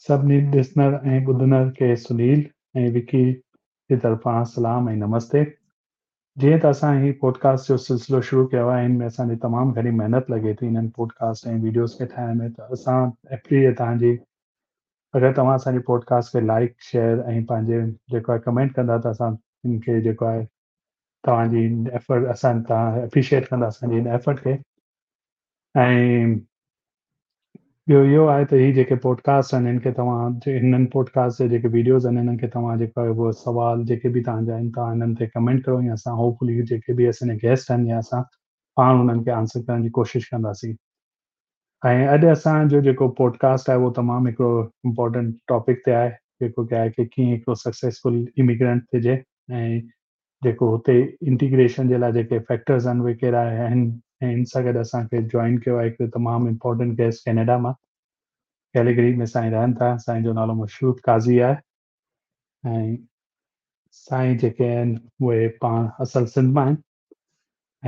سڀني ڏسندڙ ۽ ٻڌندڙ کي سنيل ۽ وڪي جي طرفان سلام ۽ نمستي. جيئن ته اسان هي پوڊڪاسٽ جو سلسلو شروع ڪيو آهي، هن ۾ اسان جي تمام گهڻي محنت لڳي ٿي هنن پوڊڪاسٽ ۽ ويڊيوز کي ٺاهڻ ۾، ته اسان اپيل توهان جي اگر توهان اسان جي پوڊڪاسٽ کي لائڪ، شيئر ۽ پنهنجي جيڪو آهي ڪمينٽ ڪندا ته اسان هن کي جيڪو آهي توهان جي ايفرٽ اسان توهان اپريشيئيٽ ڪندا اسان جي هن ايفرٽ کي. ۽ ٻيو اهو آهي ته هي جيڪي پوڊڪاسٽ آهن هن کي توهان هنن پوڊڪاسٽ جا جيڪي ويڊيوز آهن هنن کي توهان جيڪو آهي اهو سوال جيڪي به توهان جا آهن توهان هنن تي ڪمينٽ ڪرو يا اسان هوپ فلي جيڪي به اسان جا گيسٽ آهن يا اسان پاڻ انهن کي آنسر ڪرڻ جي ڪوشش ڪنداسين. ۽ اڄ اسان جو جيڪو پوڊڪاسٽ آهي اهو تمام هڪڙو امپورٽنٽ ٽاپڪ تي آهي، جيڪو ڪي آهي ڪي ڪيئن هڪڙو سڪسيسفل اميگرنٽ ٿجي ۽ جيڪو هتي انٽيگريشن جي لاء جيڪي فيڪٽرز آهن اهي ڪهڙا آهن. ۽ ان سان گڏ اسان کي جوائن ڪيو آهي هڪ تمام امپورٽنٽ گيسٽ ڪينيڊا مان، ڪيلگري ۾ سائين رهن ٿا. سائين جو نالو مشهود قاضي آهي ۽ سائين جيڪي آهن اهي پاڻ اصل سنڌ مان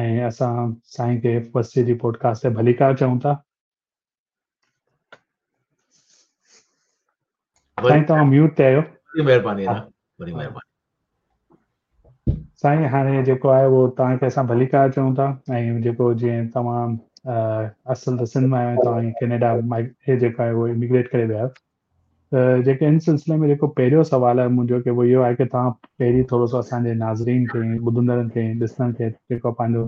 آهن ۽ اسان سائين کي فرسٽ جي پوڊڪاسٽ تي ڀليڪار چئون ٿا. سائين توهان ميوٽ تي آهيو. وڏي مهرباني ادا، وڏي مهرباني. سائين هاڻي جيڪو آهي اهو توهان کي اسان ڀليڪار چئون ٿا ۽ جيڪو جيئن توهان اصل ته سنڌ مان آهيو، توهان ڪينيڊا مان هي جيڪو آهي اهو اميگريٽ ڪري ويا آهيو، ته جيڪي ان سلسلي ۾ جيڪو پهريون سوال آهي منهنجو ڪي اهو اهو آهي ڪي توهان پهرين ٿورو سو اسان جي ناظرين کي، ٻڌندڙن کي، ڏسندڙن کي جيڪو پنهنجو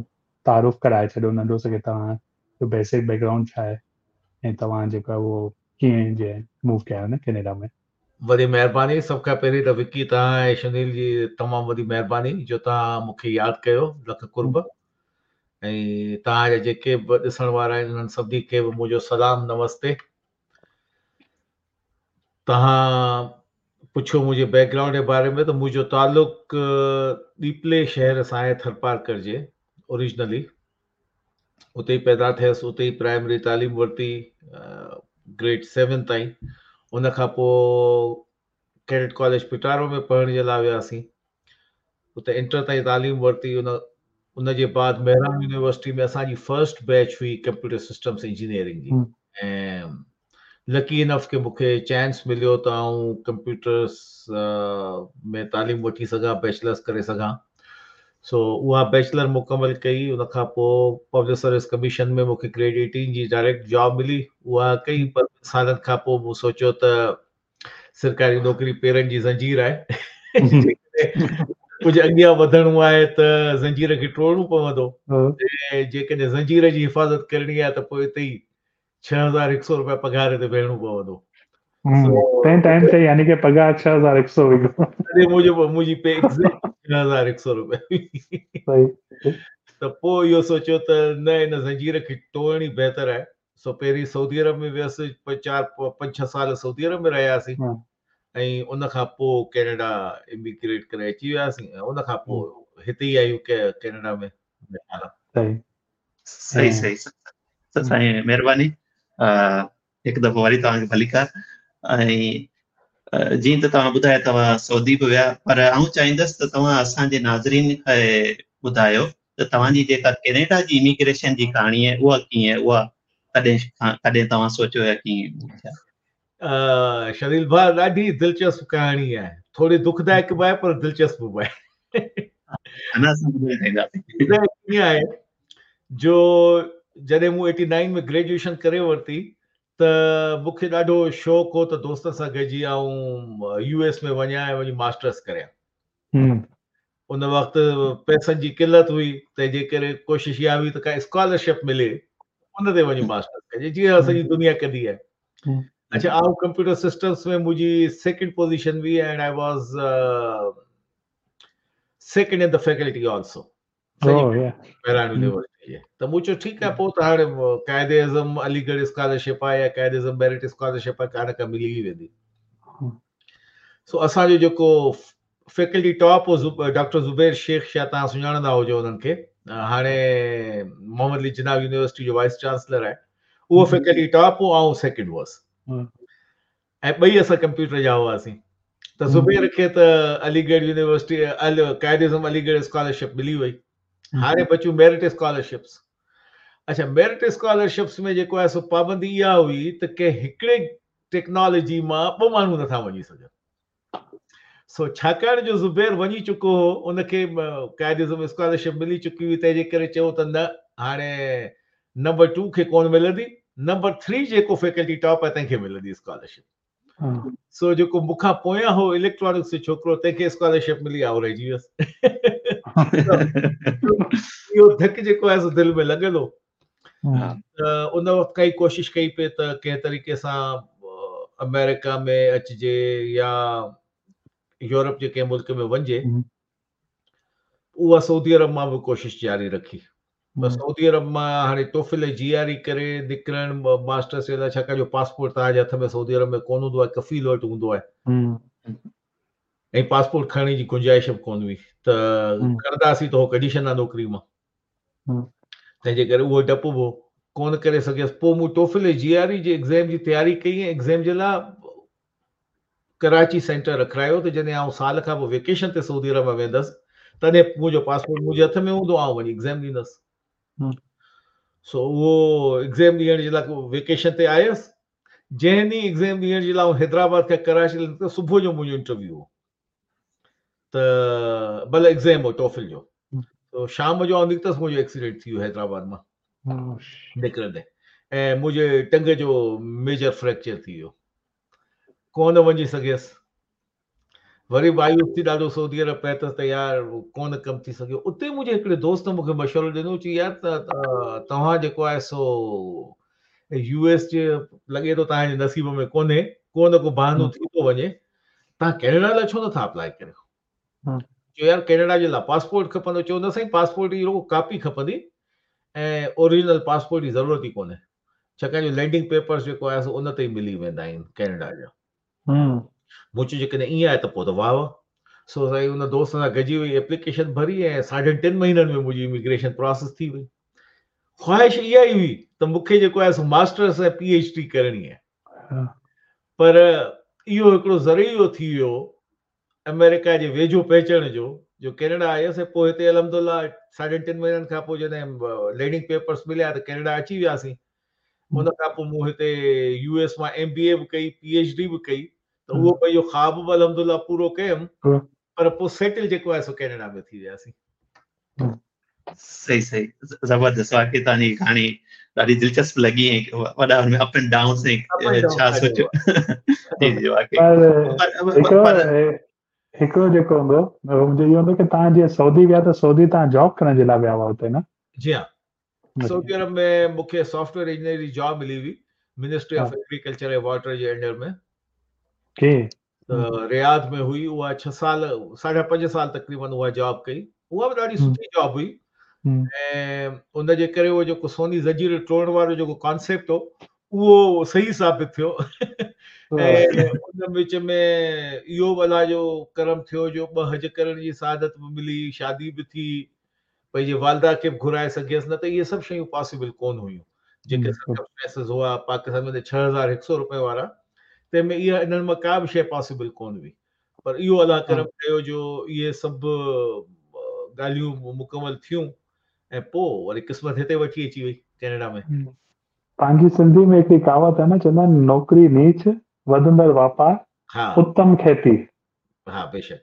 تعارف ڪرائي ڇڏيو ننڍو سو ڪي توهان جو بيسڪ بيڪ گرائونڊ ڇا آهي ۽ توهان جيڪو آهي اهو ڪيئن جي موو ڪيا آهيو نه ڪينيڊا ۾. وڏي مهرباني. سڀ کان پهرين ته وڪي توهان ۽ شنيل جي تمام وڏي مهرباني جو توهان مون کي ياد ڪيو. لک قرب. ۽ توهان جا جيڪي به ڏسڻ وارا آهن انهن سڀني کي به منهنجو سلام نمستي. توهان پڇيو منهنجي بيڪ گرائونڊ جي باري ۾ ته منهنجو تعلق ڏيپلي شهر سان آهي ٿرپارڪر جي اوريجنلي اتي ئي پيدا ٿيس، اتي ئي پرائمري تعليم ورتي گريڊ سيون تائين. ان کان پوء ڪيڊٽ ڪاليج پٽارو ۾ پڙهڻ جي لاء وياسين، اتي انٽر تائين تعليم ورتي. ان جي بعد مهراڻ يونيورسٽي ۾ اسان جي فرسٽ بيچ هئي ڪمپيوٽر سسٽمس انجنيئرنگ جي ۽ لڪي انف ڪي مون کي چانس مليو ته آئون ڪمپيوٽرس ۾ تعليم وٺي سگهان، بيچلرس ڪري سگهان. سو اها بيچلر مڪمل ڪئي. ان کان پوء پبلڪ سروس ڪميشن ۾ مون کي گريڊ 18 جي ڊائريڪٽ جاب ملي، اها ڪئي. پر ٻن سالن کان پوء مون سوچيو ته سرڪاري نوڪري پيرن جي زنجير آهي، ڪجهه اڳيان وڌڻو آهي ته زنجير کي ٽوڙڻو پوندو، ۽ جيڪڏهن زنجير جي حفاظت ڪرڻي آهي ته پوء اتي ئي 6100 روپيا پگهار تي ويهڻو پوندو. تنهن ٽائيم تي يعني ڪي پگهار 6100 هئي. تڏهن منهنجي پي ايگزيڪٽ 6100 روپيا هئي. ته پوء اهو سوچيو ته نه، ان زنجير کي ٽوڙڻ ئي بهتر آهي. سو پهرين سعودي عرب ۾ ويس، 4 5 6 سال سعودي عرب ۾ رهياسين ۽ ان کان پوء ڪينيڊا اميگريٽ ڪري اچي وياسين ۽ ان کان پوء هتي ئي آهيون ڪينيڊا ۾. صحيح صحيح سائين، مهرباني. هڪ دفعو وري توهان کي ڀليڪار. ۽ جيئن ته توهان ٻڌايو توهان سعودي به ويا، پر آئون چاهيندس ته توهان اسان جي ناظرين کي ٻڌايو ته توهان جي جيڪا ڪينيڊا جي اميگريشن جي ڪهاڻي آهي اها ڪيئن، اها ڪڏهن کان ڪڏهن توهان سوچيو يا ڪيئن ٿيا؟ شنيل ڀاء، ڏاڍي دلچسپ ڪهاڻي آهي، ٿوري دکدائڪ به آهي پر دلچسپ به آهي. اڃا اسان ٻڌائي چاهينداسين. ٻڌائي ڪيئن آهي جو جڏهن مون ايٽي نائن ۾ گريجوئيشن ڪري ورتي ته مون کي ڏاڍو شوق هو ته دوستن سان گڏجي آئون يو ايس ۾ وڃان ۽ وڃي ماسٽرس ڪريان. ان وقت پئسن جي قلت هئي، تنهن جي ڪري ڪوشش اها هئي ته ڪا اسڪالرشپ ملي ان تي وڃي ماسٽرس ڪجي، جيئن سڄي دنيا ڪندي آهي. اڇا، آئون ڪمپيوٽر سسٽمس ۾ منهنجي سيڪنڊ پوزيشن هئي and I was second in the faculty also. Mehran university جي. ته مون چيو ٺيڪ آهي، پوء ته هاڻي قائد اعظم علي ڳڙهه اسڪالرشپ آهي يا قائد اعظم ميرٽ اسڪالرشپ آهي، ڪا نه ڪا ملي ئي ويندي. سو اسان جو جيڪو فيڪلٽي ٽاپ هو ڊاڪٽر زبير شيخ، شايد توهان سڃاڻندا هجو انهن کي، هاڻي محمد علي جناح يونيورسٽي جو وائس چانسلر آهي، اهو فيڪلٽي ٽاپ هو، آئون سيڪنڊ هوس ۽ ٻئي اسان ڪمپيوٽر جا هئاسين. ته زبير کي ته علي ڳڙهه يونيورسٽي، قائد اعظم علي ڳڙهه اسڪالرشپ ملي وئي. هاڻي بچيون ميرٽ اسڪالرشپس. اڇا، ميرٽ اسڪالرشپس ۾ جيڪو آهي سو پابندي اها هئي ته ڪنهن هڪڙي ٽيڪنالاجي مان ٻه ماڻهو نٿا وڃي سگهن. سو ڇاڪاڻ جو زبير وڃي چڪو هو، ان کي قائد اعظم اسڪالرشپ ملي چڪي هئي، تنهن جي ڪري چيو ته نه هاڻي نمبر ٽو کي ڪونه ملندي، نمبر ٿري جيڪو فيڪلٽي ٽاپ آهي تنهن کي ملندي اسڪالرشپ. سو جيڪو مون کان پويان هو اليڪٽرانڪس جو ڇوڪرو تنهن کي اسڪالرشپ ملي، آئون رهجي ويس. اهو ڌڪ جيڪو آهي سو دل ۾ لڳل هو. ته ان وقت کان ئي ڪوشش ڪئي پئي ته ڪنهن طريقي سان آمريڪا ۾ اچجي يا يورپ جي ڪنهن ملڪ ۾ وڃجي. اها سعودي عرب مان به ڪوشش جاري رکي پر سعودي عرب مان هاڻي ٽوفل ۽ جي آر اي ڪري نڪرڻ ماسٽرس جي لاء ڇاڪاڻ جو پاسپورٽ توهان جي هٿ ۾ سعودي عرب ۾ ڪونه هوندو آهي، ڪفيل وٽ هوندو آهي ۽ پاسپورٽ کڻڻ جي گنجائش به ڪونه هئي ته کڻنداسين ته هو ڪڍي ڇڏندا نوڪري مان. تنهن جي ڪري اهو ڊپ به هو، ڪونه ڪري سگهيس. پوء مون ٽوفل ۽ جي آر اي جي ايگزيم جي تياري ڪئي ۽ ايگزيم جي لاء ڪراچي سينٽر رکرايو ته جڏهن آئون سال کان پوء ويڪيشن تي سعودي عرب ۾ ويندس تڏهن منهنجو پاسپورٽ منهنجي هٿ ۾ هوندو، آئون وڃي ايگزيم ڏيندس. سو اهو ايگزيم ڏيڻ جي لاء ويڪيشن تي آيس. جنهن ڏينهن ايگزيم ڏيڻ جي لاء آئون حيدرآباد کان ڪراچي لاء نڪتس، صبح جو منهنجو انٽرويو هو. ته ڀلي ايگزام هو ٽوفل جو تو شام جو آئون نڪتس منهنجو ايڪسيڊنٽ ٿي ويو حيدرآباد مان نڪرندي ۽ منهنجي ٽنگ جو ميجر فريڪچر ٿي ويو ڪونه وڃي سگهيس وري مايوس ٿي ڏاڍو سعودي عرب پهتس ته يار ڪونه ڪم ٿي سگهيو اتي منهنجي هڪڙي دوست مونکي مشورو ڏنو چي يار ته توهان جيڪو آهي سو يو ايس جي لڳي ٿو توهان جي نصيب ۾ ڪونهي ڪو نه ڪو بهانو ٿي ٿو وڃي توهان ڪينيڊا لاء ڇو نٿا اپلائي ڪريو؟ چيو يار ڪينيڊا جي لاء پاسپورٽ کپندو. چيو نه سائين پاسپورٽ جي رڳو ڪاپي کپندي ۽ اوريجنل پاسپورٽ جي ضرورت ئي ڪونهي ڇاڪاڻ جو لينڊنگ پيپرز جيڪو آهي سو ان تي ئي ملي ويندا آهن ڪينيڊا جا. مون چيو جيڪڏهن ائين آهي ته پوء ته واهه واهه. سو سائين ان دوست سان گڏجي وئي ايپليڪيشن ڀري ۽ ساڍن ٽن مهينن ۾ منهنجي اميگريشن پراسيس ٿي وئي. خواهش اها ئي هئي ته مون کي جيڪو آهي سو ماسٽرس ۽ پي ايڇ ڊي ڪرڻي آهي. پر اهو هڪڙو ذريعو ٿي ويو آمريڪا جي ويجهو پهچڻ جو، جو ڪينيڊا آيس ۽ پوء هتي الحمدلله ساڍن ٽن مهينن کان پوء جڏهن لينڊنگ پيپرس مليا ته ڪينيڊا اچي وياسين. ان کان پوء مون هتي يو ايس مان ايم بي اي به ڪئي، پي ايڇ ڊي به ڪئي ته اهو پنهنجو خواب به الحمدلله پورو ڪيم پر پوء سيٽل جيڪو آهي سو ڪينيڊا ۾ ٿي وياسين. صحيح صحيح زبردست واقعي توهان جي ڪهاڻي ڏاڍي دلچسپ لڳي ۽ وڏا هن ۾ اپ اينڊ ڊائونس ۽ ڇا سوچيو جي جي واقعي پر هڪڙو جيڪو هوندو منهنجو اهو هوندو ڪه توهان جيئن سعودي ويا ته سعودي توهان جاب ڪرڻ جي لاء ويا هئا اتي نه؟ جي ها سعودي عرب ۾ مون کي سافٽ ويئر انجنيئر جي جاب ملي هئي منسٽري آف ايگريڪلچر ۽ واٽر جي انڊر ۾ ڪي ته رياض ۾ هئي اها ڇهه سال ساڍا پنج سال تقريبن اها جاب ڪئي اها به ڏاڍي سٺي جاب هئي ۽ ان جي ڪري اهو جيڪو سوني زنجير ٽوڙڻ وارو جيڪو ڪانسيپٽ هو اهو صحيح ثابت ٿيو ۽ ان وچ ۾ اهو به الله جو ڪرم ٿيو جو ٻه حج ڪرڻ جي سعادت به ملي شادي به ٿي پنهنجي والده کي به گهرائي سگهيس نه ته اهي سڀ شيون پاسيبل ڪونه هيون جيڪي سرڪمسٽانسز هئا پاڪستان ۾ 6100 روپيه وارا تنهن ۾ اها انهن مان ڪا به شيء پاسيبل ڪونه هئي پر اهو الله ڪرم ڪيو جو اهي سڀ ڳالهيون مڪمل ٿيون ۽ پوء وري قسمت هتي وٺي اچي وئي ڪينيڊا ۾. پنهنجي سنڌي ۾ هڪڙي ڪهاوت آهي نه چوندا آهن نوڪري نيچ وڌندڙ واپار اتم کيتي. ها بيشڪ.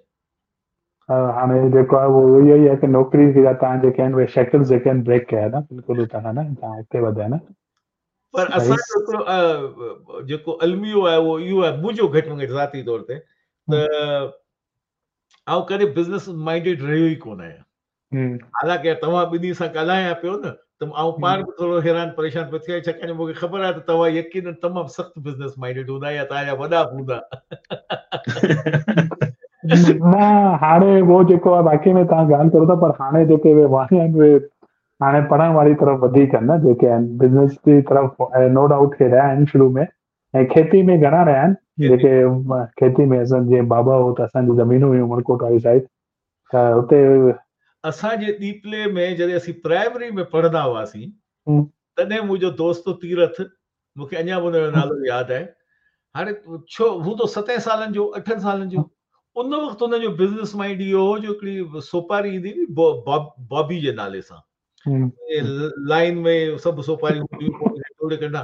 هاڻي جيڪو آهي اهو اهو ئي آهي ڪه نوڪري جا توهان جيڪي آهن اهي شيڪلز جيڪي آهن بريڪ ڪيا نه بلڪل توهان نه توهان اڳتي وڌيا نه. پر اسان جو هڪڙو جيڪو الميو آهي اهو اهو آهي منهنجو گهٽ ۾ گهٽ ذاتي طور تي ته آئون ڪڏهن بزنس مائنڊيڊ رهيو ئي ڪونه آهيان. حالانڪه توهان ٻنهي سان ڳالهايان پيو نه ته آئون پاڻ به ٿورو حيران پريشان پيو ٿيان ڇاڪاڻ جو مون کي خبر آهي ته توهان يقينن تمام سخت بزنس مائنڊيڊ هوندا يا توهان جا وڏا به هوندا. نه هاڻي اهو جيڪو آهي واقعي ۾ توهان ڳالهه ڪريو ٿا پر هاڻي جيڪي اهي واڻيا آهن اهي هاڻي پڙهڻ واري طرف وڌيڪ آهن نه جيڪي آهن بزنس جي طرف نو ڊائوٽ کي رهيا آهن شروع ۾ ۽ کيتي ۾ گهڻا رهيا آهن جيڪي کيتي ۾ اسان جي بابا هو ته اسان جي زمينون هيون عمرڪوٽ واري سائيڊ ته اتي اسان جي ڏيپلي ۾ جڏهن اسين پرائمري ۾ پڙهندا هئاسين تڏهن منهنجو دوست تيرٿ مون کي اڃا به ان جو نالو ياد آهي هاڻي ڇو هوندو ستين سالن جو اٺن سالن جو ان وقت ان جو بزنس مائنڊ اهو هو جو هڪڙي سوپاري ايندي هئي بابي جي نالي سان لائن ۾ سڀ سوپاريون هونديون هيون ٽوڙي ڪڍندا.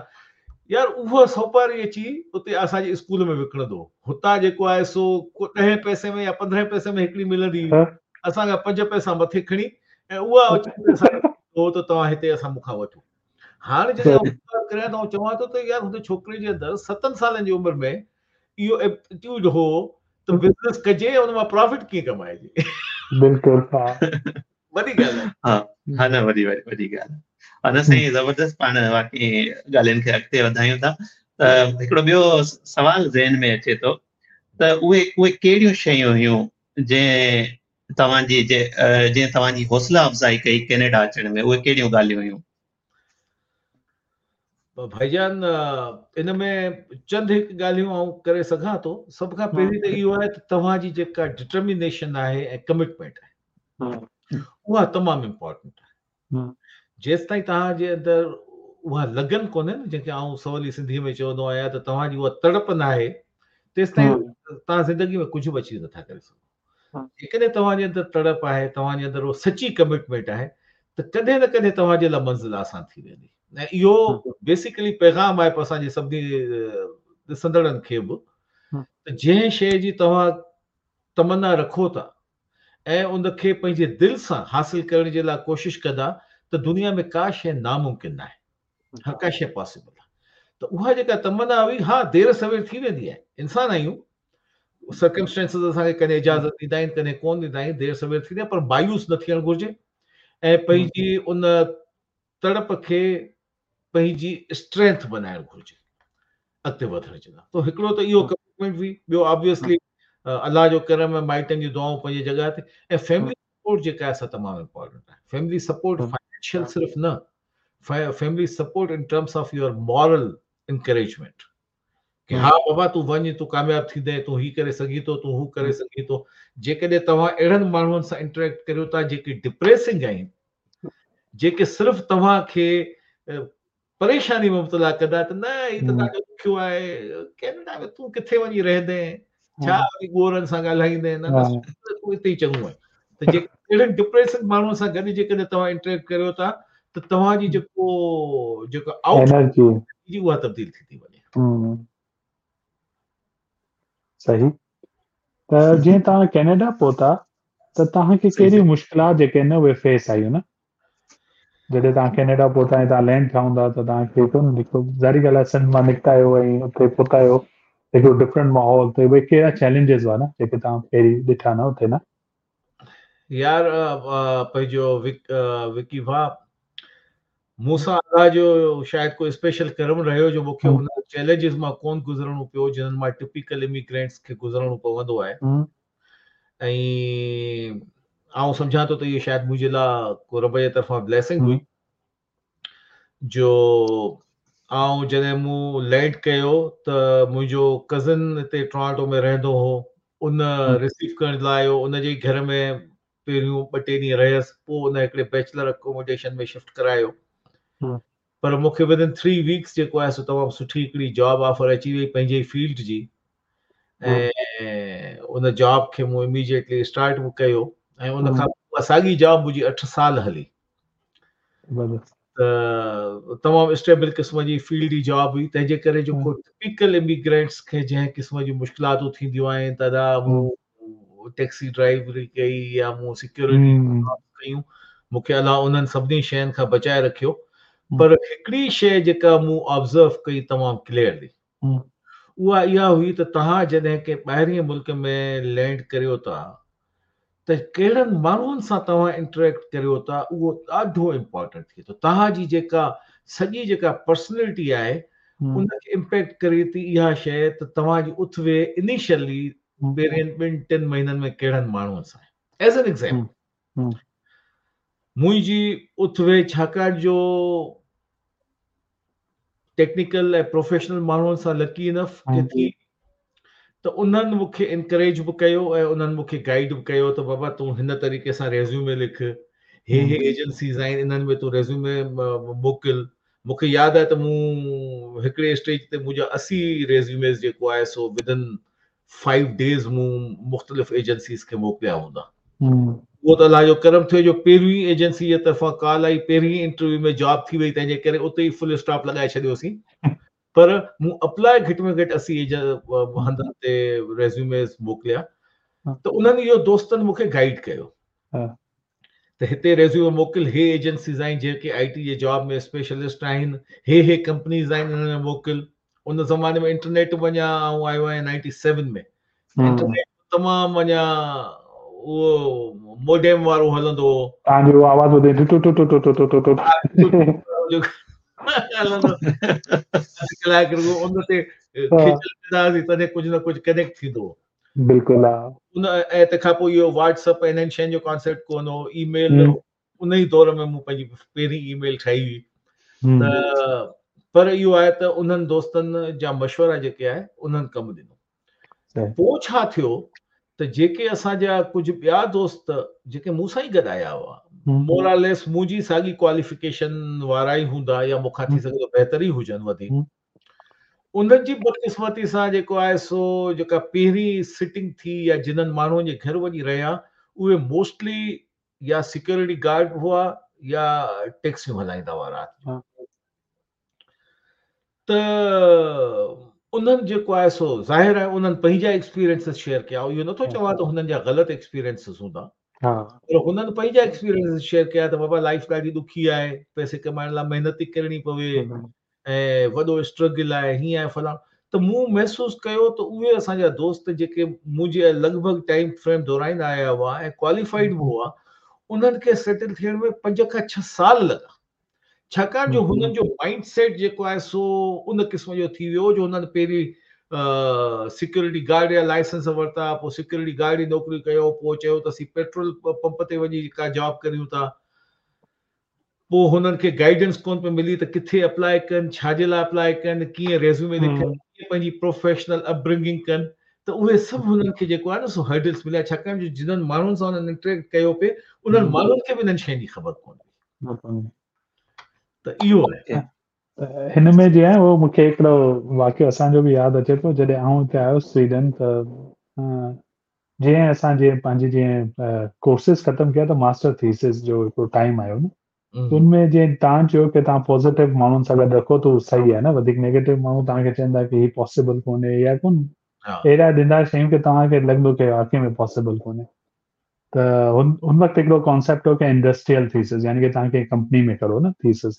يار اها سوپاري اچي اتي اسان جي اسڪول ۾ وڪڻندو هو. هتان جيڪو آهي سو ڪو ڏهين پئسي ۾ يا پندرهين پئسي ۾ هڪڙي ملندي هئي. اسان کان پنج پئسا مٿي کڻي ۽ اها اچي اسان کي ڏيندو هو ته توهان هتي اسان مون کان وٺو. هاڻ جڏهن آئون ويچار ڪريان ته آئون چوان ٿو ته يار هن ڇوڪري جي اندر ستن سالن جي عمر ۾ اهو ايپٽيٽيوڊ هو ته بزنس ڪجي ۽ ان مان پرافٽ ڪيئن ڪمائجي. بلڪل ها. وڏي ڳالهه آهي. ها ها نه وڏي وڏي وڏي ڳالهه آهي. نه سائين زبردست پاڻ واقعي ڳالهين کي اڳتي وڌايون ٿا ته هڪڙو ٻيو سوال ذهن ۾ اچي ٿو ته اهي اهي ڪهڙيون شيون هيون جنهن توهان جي جنهن توهان جي حوصله افزائي ڪئي ڪينيڊا اچڻ ۾ اهي ڪهڙيون ڳالهيون هيون؟ ڀائيجان ان ۾ چند هڪ ڳالهيون آئون ڪري سگهان ٿو. سڀ کان پهرين ته اهو آهي ته توهان جي جيڪا ڊٽرمينيشن آهي ۽ ڪمٽمينٽ آهي اها تمام امپارٽنٽ آهي. جيستائين توهان جي اندر اها لگن ڪونهي نه جنهن کي آئون سولي سنڌي ۾ چوندو آهيان ته توهان جي اها تڙپ ناهي تيستائين توهان زندگي ۾ ڪجهه به اچيو نٿا ڪري سگهو. جيڪڏهن توهان جي اندر تڙپ آهي، توهان جي اندر اها سچي ڪمٽمينٽ آهي ته ڪڏهن نه ڪڏهن توهان جي لاء منزل آسان ٿي ويندي ۽ اهو بيسيڪلي پيغام آهي اسان جي سڀني ڏسندڙن کي به ته جنهن شيء جي توهان تمنا رکو ٿا ۽ ان کي پنهنجي دل سان حاصل ڪرڻ جي لاء ڪوشش ڪندا ته دنيا ۾ ڪا شيء ناممڪن ناهي، هر ڪا شيء پاسيبل آهي. ته اها جيڪا تمنا هئي ها دير سوير ٿي ويندي آهي، انسان آهيون، سرڪمسٽانسز اسان کي ڪڏهن اجازت ڏيندا آهن ڪڏهن ڪون ڏيندا آهن، دير سوير ٿيندي آهي پر مايوس نه ٿيڻ گهرجي ۽ پنهنجي ان تڙپ کي پنهنجي اسٽرينٿ بنائڻ گهرجي اڳتي وڌڻ جي لاء. ته هڪڙو ته اهو ڪمٽمينٽ هئي، ٻيو آبويسلي الله جو ڪرم ۽ مائٽن جون دعائون پنهنجي جڳهه تي ۽ فيملي سپورٽ جيڪا آهي سا تمام امپورٽنٽ آهي. فيملي سپورٽ فائنينشل صرف نه، family support in terms of your moral encouragement ڪي ها بابا تون وڃ تون ڪامياب ٿيندين تون هي ڪري سگهين ٿو تون هو ڪري سگهين ٿو. جيڪڏهن توهان اهڙن ماڻهن سان انٽريڪٽ ڪريو ٿا جيڪي ڊپريسنگ آهن، جيڪي صرف توهان کي پريشاني ۾ مبتلا ڪندا ته نه هي ته ڏاڍو ڏکيو آهي ڪينيڊا ۾ تون ڪٿي وڃي رهندين، ڇا وري گورن سان ڳالهائيندين، نه نه تون اتي ئي چڱو آهين. ته جيڪي اهڙن ڊپريسنگ ماڻهن سان گڏ جيڪڏهن توهان انٽريڪٽ ڪريو ٿا ته توهان جي جيڪو جيڪو آئوٽ انرجي جي اها تبديل ٿي ٿي وڃي. صحيح. ته جيئن توهان ڪينيڊا پهتا ته توهان کي ڪهڙيون مشڪلات جيڪي آهن اهي فيس آيون نه؟ جڏهن توهان ڪينيڊا پهتا ۽ توهان لينڊ ٿيا هوندا ته توهان کي هڪڙو نه هڪڙو ظاهري ڳالهه آهي سنڌ مان نڪتا آهيو ۽ اتي پهتا آهيو هڪڙو ڊفرنٽ ماحول ته اهي ڪهڙا چئلينجز هئا نه جيڪي توهان پهرين ڏٺا نه اتي نه؟ يار پنهنجو وڪي ڀاء مون سان الله جو شايد ڪو اسپيشل ڪرم رهيو جو مون کي ان چئلينجز مان ڪون گذرڻو پيو جنهن مان ٽپيڪل اميگرينٽس کي گذرڻو پوندو آهي ۽ آئون سمجهان ٿو ته اهو شايد منهنجي لاء ڪو رب جي طرفان بليسنگ هئي جو آئون جڏهن مون لينڊ ڪيو ته منهنجو ڪزن هتي ٽورانٽو ۾ رهندو هو، ان رسيو ڪرڻ لاء آيو، ان جي گهر ۾ پهريون ٻه ٽي ڏينهن رهيس، پوء ان هڪڙي بيچلر اڪوموڊيشن ۾ شفٽ ڪرايو. پر مون کي ودن 3 ويڪس جيڪو آهي سو تمام سٺي هڪڙي جاب آفر اچي وئي پنهنجي ئي فيلڊ جي ۽ ان جاب کي مون اميڊيٽلي اسٽارٽ به ڪيو ۽ ان کان پوء ساڳي جاب منهنجي 8 سال هلي. ته تمام اسٽيبل قسم جي فيلڊ جي جاب هئي تنهن جي ڪري جيڪو ٽپيڪل اميگرينٽس کي جنهن قسم جون مشڪلاتون ٿينديون آهن ته ادا مون ٽيڪسي ڊرائيوري ڪئي يا مون سيڪيورٽي جاب ڪيون مون کي الله انهن سڀني شين کان بچائي رکيو پر هڪڙي شيء جيڪا مون آبزرو ڪئي تمام ڪليئرلي اها اها هئي ته توهان جڏهن ڪنهن ٻاهرئين ملڪ ۾ لينڊ ڪريو ٿا ته ڪهڙن ماڻهن سان توهان انٽريڪٽ ڪريو ٿا اهو ڏاڍو امپارٽنٽ ٿئي ٿو. توهان جي جيڪا سڄي جيڪا پرسنلٽي آهي ان کي امپيڪٽ ڪري ٿي اها شيء ته توهان جي اٿ ويهه انيشلي پهرين ٻن ٽن مهينن ۾ ڪهڙن ماڻهن سان آهي. ايز اين ايگزامپل منهنجي اٿ ويهه ڇاڪاڻ جو ٽيڪنيڪل ۽ پروفيشنل ماڻهن سان لڪي انف ڪي ٿي ته انهن مون کي انڪريج به ڪيو ۽ انهن مون کي گائيڊ به ڪيو ته بابا تون هن طريقي سان ريزيومي لک، هي هي ايجنسيز آهن انهن ۾ تون ريزيومي موڪل. مون کي ياد آهي ته مون هڪڙي اسٽيج تي منهنجا 80 ريزيوميز جيڪو آهي سو ودن 5 ڊيز مون مختلف ايجنسيز کي موڪليا هوندا. اهو ته الله جو ڪرم ٿيو جو پهريون ئي ايجنسي جي طرفان ڪال آئي، پهرين ئي انٽرويو ۾ جاب ٿي وئي، تنهن جي ڪري اتي ئي فل اسٽاپ لڳائي ڇڏيوسين. پر مون اپلاء گهٽ ۾ گهٽ 80 هنڌن تي ريزيوميز موڪليا ته انهن اهو دوستن مون کي گائيڊ ڪيو ته هتي ريزيومي موڪل، هي ايجنسيز آهن جيڪي آئي ٽي جي جاب ۾ اسپيشلسٽ آهن، هي هي ڪمپنيز آهن انهن ۾ موڪل. ان زماني ۾ انٽرنيٽ به اڃا آئون آيو آهيان 97 ۾، انٽرنيٽ تمام اڃا اهو موڊيم وارو هلندو هو. توهان جو آواز ٻڌي two two two two two two two هلندو ڪلاڪ رڳو ان تي کيچل ڪندا هئاسين تڏهن ڪجهه نه ڪجهه ڪنيڪٽ ٿيندو هو. بلڪل ها. ان ۽ تنهن کان پوء اهو واٽس اپ انهن شين جو ڪانسيپٽ ڪونه هو، اي ميل ان ئي دور ۾ مون پنهنجي پهرين اي ميل ٺاهي هئي ته پر اهو آهي ته انهن دوستن جا مشورا جيڪي آهي انهن ڪم ڏنو. پوء ڇا ٿيو ته جيڪي اسان جا ڪجهه ٻيا دوست جيڪي مون سان ئي گڏ آيا هئا مور آر ليس منهنجي ساڳي ڪواليفڪيشن وارا ئي هوندا يا مون کان ٿي سگهي ٿو بهتر ئي هجن وڌيڪ، انهن جي بدقسمتي سان جيڪو آهي سو جيڪا پهرين سٽنگ ٿي يا جنهن ماڻهن جي گهر وڃي رهيا اهي موسٽلي يا سيڪيورٽي گارڊ هئا يا ٽيڪسيون هلائيندا هئا رات جو ته انهن جيڪو آهي سو ظاهر آهي انهن پنهنجا ايڪسپيرينسز شيئر ڪيا. اهو نٿو چوان ته هنن جا غلط ايڪسپيرينسز هوندا، پر هنن پنهنجا ايڪسپيرينسز شيئر ڪيا ته بابا لائف ڏاڍي ڏکي آهي، پئسي ڪمائڻ لاء محنت ٿي ڪرڻي پوي ۽ وڏو اسٽرگل آهي، هيئن آهي فلاڻو. ته مون محسوس ڪيو ته اهي اسان جا دوست جيڪي منهنجي لڳ ڀڳ ٽائيم فريم دوران آيا هئا ۽ ڪواليفائيڊ به هئا، انهن کي سيٽل ٿيڻ ۾ 5 کان 6 سال لڳا، ڇاڪاڻ جو هنن جو مائنڊ سيٽ جيڪو آهي سو ان قسم جو ٿي ويو جو هنن پهرين سيڪيورٽي گارڊ جا لائسنس ورتا، پوء سيڪيورٽي گارڊ جي نوڪري ڪيو، پوء چيو ته اسين پيٽرول پمپ تي وڃي ڪا جاب ڪريون ٿا. پوء هنن کي گائيڊنس ڪونه پئي ملي ته ڪٿي اپلاء ڪن، ڇا جي لاء اپلاء ڪن، ڪيئن ريزيومي لکن، ڪيئن پنهنجي پروفيشنل اپ برنگنگ ڪن ته اهي سڀ هنن کي جيڪو آهي نه سو هرڊلس مليا، ڇاڪاڻ جو جنهن ماڻهن سان هنن انٽريڪٽ ڪيو پئي انهن ماڻهن کي به انهن شين جي خبر ڪونه هئي. ته اهو آهي. هن ۾ جيئن آهي اهو مون کي هڪڙو واقعو اسان جو به ياد اچي ٿو جڏهن آئون هتي آيس سوئيڊن ته جيئن اسان جيئن پنهنجي جيئن ڪورسز ختم ڪيا ته ماسٽر ٿيسز جو هڪڙو ٽائيم آيو نه ان ۾ جيئن توهان چيو ڪي توهان پازيٽو ماڻهن سان گڏ رکو ته صحيح آهي نه وڌيڪ نيگيٽو ماڻهو توهان کي چوندا ڪي هي پاسيبل ڪونهي يا ڪون اهڙا ڏيندا شيون ڪي توهان کي لڳندو ڪي واقعي ۾ پاسيبل ڪونهي ته هن هن وقت هڪڙو ڪانسيپٽ هو ڪي انڊسٽريل ٿيسز يعني ڪي توهان ڪنهن ڪمپني ۾ ڪرو نه ٿيسز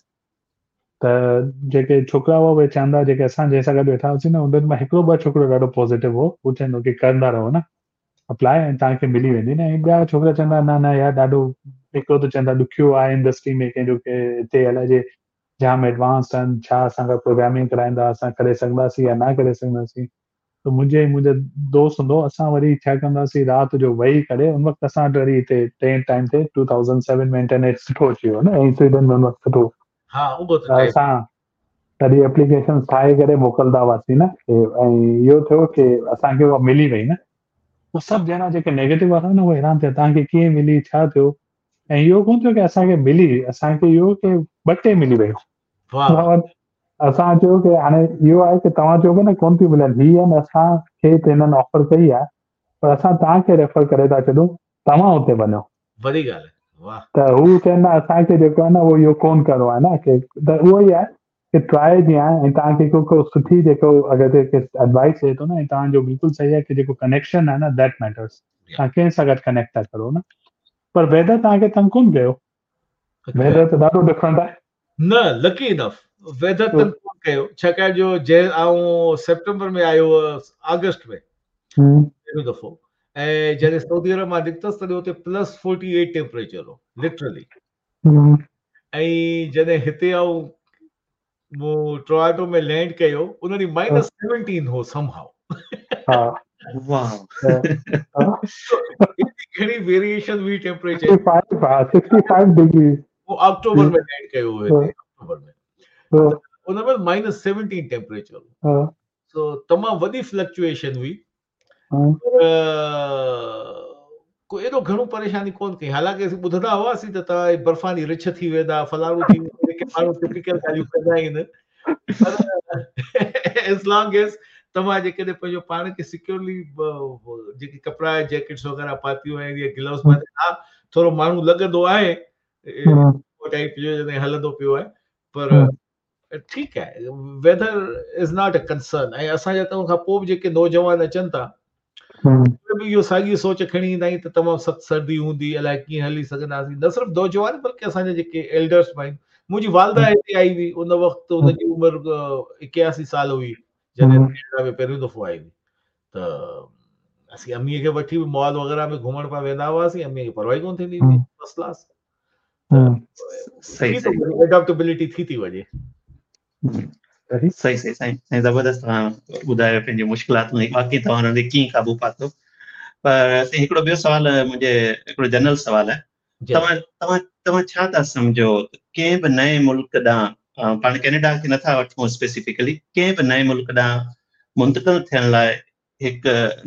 ته جيڪي ڇوڪرا هئا اهي چوندا جيڪي اسان جنهن سان گڏ ويٺا هئاسين نه انهن مان هڪڙو ٻه ڇوڪرو ڏاڍو پازيٽو هو هو چوندو ڪي ڪندا رهو نه اپلاء ۽ توهان کي ملي ويندي نه ۽ ٻيا ڇوڪرا چوندا نه نه يار ڏاڍو هڪڙو ته چوندا ڏکيو آهي انڊسٽري ۾ ڪنهن جو ڪي هتي الائجي جام ايڊوانس آهن ڇا اسان کان پروگرامنگ ڪرائيندا اسان ڪري سگهنداسين يا نه ڪري سگهنداسين ته منهنجي ۽ منهنجا دوست هوندو هو اسان وري ڇا ڪندا هئاسين رات جو ويهي ڪري ان وقت اسان وٽ وري هتي تنهن ٽائيم تي 2007 ۾ انٽرنيٽ سٺو اچي ويو نه ۽ سوئيڊن ۾ ان وقت سٺو ها اهو ته اسان تڏهن اپليڪيشن ٺاهي ڪري موڪلدا هئاسين نه ۽ اهو ٿيو ڪي اسان کي اها ملي وئي نه پوء سڀ ڄڻا جيڪي نيگيٽو وارا نه اهي حيران ٿيا توهان کي ڪيئن ملي ڇا ٿيو ۽ اهو ڪونه ٿيو ڪي اسان کي ملي اسان کي اهو ڪي ٻه ٽي ملي ويون. واهه اسان چيو ڪي هاڻي اهو آهي ڪي توهان چئو پيا نه ڪونه ٿيون ملن هي آهن اسان کي ته هنن آفر ڪئي آهي پر اسان توهان کي ريفر ڪري ٿا ڇڏون توهان اتي وڃو. وڏي ڳالهه آهي واهه. ته هو چون نه اسان کي جيڪو آهي نه اهو اهو ڪونه ڪرڻو آهي نه ڪي ته اهو ئي آهي ڪي ٽرائي جيئن آهي ۽ توهان کي ڪو ڪو سٺي جيڪو اگر ڪي ايڊوائس ڏئي ٿو نه ۽ توهان جو بلڪل صحيح آهي ڪي جيڪو ڪنيڪشن آهي نه that matters توهان ڪنهن سان گڏ ڪنيڪٽ ٿا ڪرو نه پر ويدر توهان کي تنگ ڪونه ڪيو ويدر ته ڏاڍو ڊفرنٽ آهي. نه لڪي انف ويدر تنگ ڪونه ڪيو ڇاڪاڻ جو جنهن آئون سيپٽمبر ۾ آيو هئس آگسٽ ۾ پهريون دفعو ۽ جڏهن سعودي عرب مان نڪتس تڏهن اتي پلس 48 ٽيمپريچر هو لٽرلي ۽ جڏهن هتي آئون مون ٽورانٽو ۾ لينڊ ڪيو ان ڏينهن مائنس 17 هو سم هائو. ها واهه ايتري گهڻي ويريئيشن هئي ٽيمپريچر 65 ها 65 ڊگري مون آڪٽوبر ۾ لينڊ ڪيو هو هتي آڪٽوبر ۾ ان مهل مائنس 17 ٽيمپريچر هو سو تمام وڏي فلڪچوئيشن هئي پر ڪو ايڏو گهڻو پريشاني ڪون ڪئي حالانڪه اسين ٻڌندا هئاسين ته توهان برفاني رڇ ٿي ويندا فلاڻو ٿي ويندو جيڪي ماڻهو ٽپيڪل ڳالهيون ڪندا آهن پر ايز لانگ ايز توهان جيڪڏهن پنهنجو پاڻ کي سيڪيورلي جيڪي ڪپڙا جيڪيٽس وغيره پاتيون آهن يا گلوز پاتيا ها ٿورو ماڻهو لڳندو آهي ٽائپ جو جڏهن هلندو پيو آهي پر ٺيڪ آهي weather is not a concern ۽ اسان جا ته ان کان پوء به جيڪي نوجوان اچن ٿا به اهو ساڳي سوچ کڻي ايندا آهن ته تمام سخت سردي هوندي الائي ڪيئن هلي سگهنداسين نه صرف نوجوان بلڪه اسان جا جيڪي ايلڊرس به آهن منهنجي والده هتي آئي هئي ان وقت ان جي عمر 81 سال هئي جڏهن ڪينيڊا ۾ پهريون دفعو آئي هئي ته اسين اميء کي وٺي به مال وغيره ۾ گهمڻ پيا ويندا هئاسين اميء کي پرواهه ئي ڪونه ٿيندي هئي فرسٽ ڪلاس صحيح صحيح ايڊاپٽيبلٽي ٿي ٿي وڃي. صحيح صحيح سائين سائين زبردست توهان ٻڌايو پنهنجون مشڪلاتون ۽ باقي توهان انهن تي ڪيئن قابو پاتو پر سائين هڪڙو ٻيو سوال منهنجي هڪڙو جنرل سوال آهي توهان توهان توهان ڇا ٿا سمجهو ڪنهن به نئين ملڪ ڏانهن پاڻ ڪينيڊا کي نٿا وٺون اسپيسيفڪلي ڪنهن به نئين ملڪ ڏانهن منتقل ٿيڻ لاء هڪ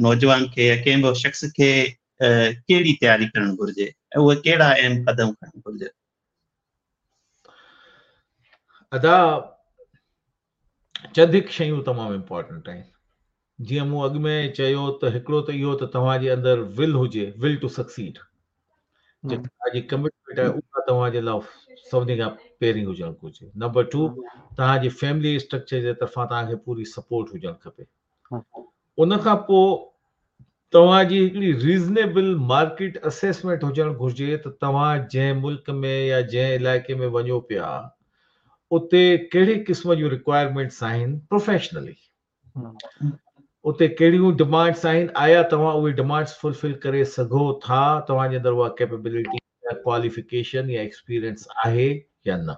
نوجوان کي يا ڪنهن به شخص کي ڪهڙي تياري ڪرڻ گهرجي ۽ اهي ڪهڙا اهم قدم کڻڻ گهرجن؟ ادا چند هڪ شيون تمام امپورٽنٽ آهن جيئن مون اڳ ۾ چيو ته هڪڙو ته اهو ته توهان جي اندر ول هجي ول ٽو سڪسيڊ جيڪا توهان جي ڪمٽمينٽ آهي اها توهان جي لاء سڀني کان پهرين هجڻ گهرجي نمبر 2 توهان جي فيملي اسٽرڪچر جي طرفان توهان کي پوري سپورٽ هجڻ کپي ان کان پوء توهان جي هڪڙي ريزنيبل مارڪيٽ اسيسمينٽ هجڻ گهرجي ته توهان جنهن ملڪ ۾ يا جنهن علائقي ۾ وڃو پيا اتي ڪهڙي قسم جون رڪوائرمينٽس آهن پروفيشنلي اتي ڪهڙيون ڊمانڊس آهن آيا توهان اهي ڊمانڊس فلفل ڪري سگهو ٿا توهان جي اندر اها ڪيپيبلٽي يا ڪواليفڪيشن يا ايڪسپيرينس آهي يا نه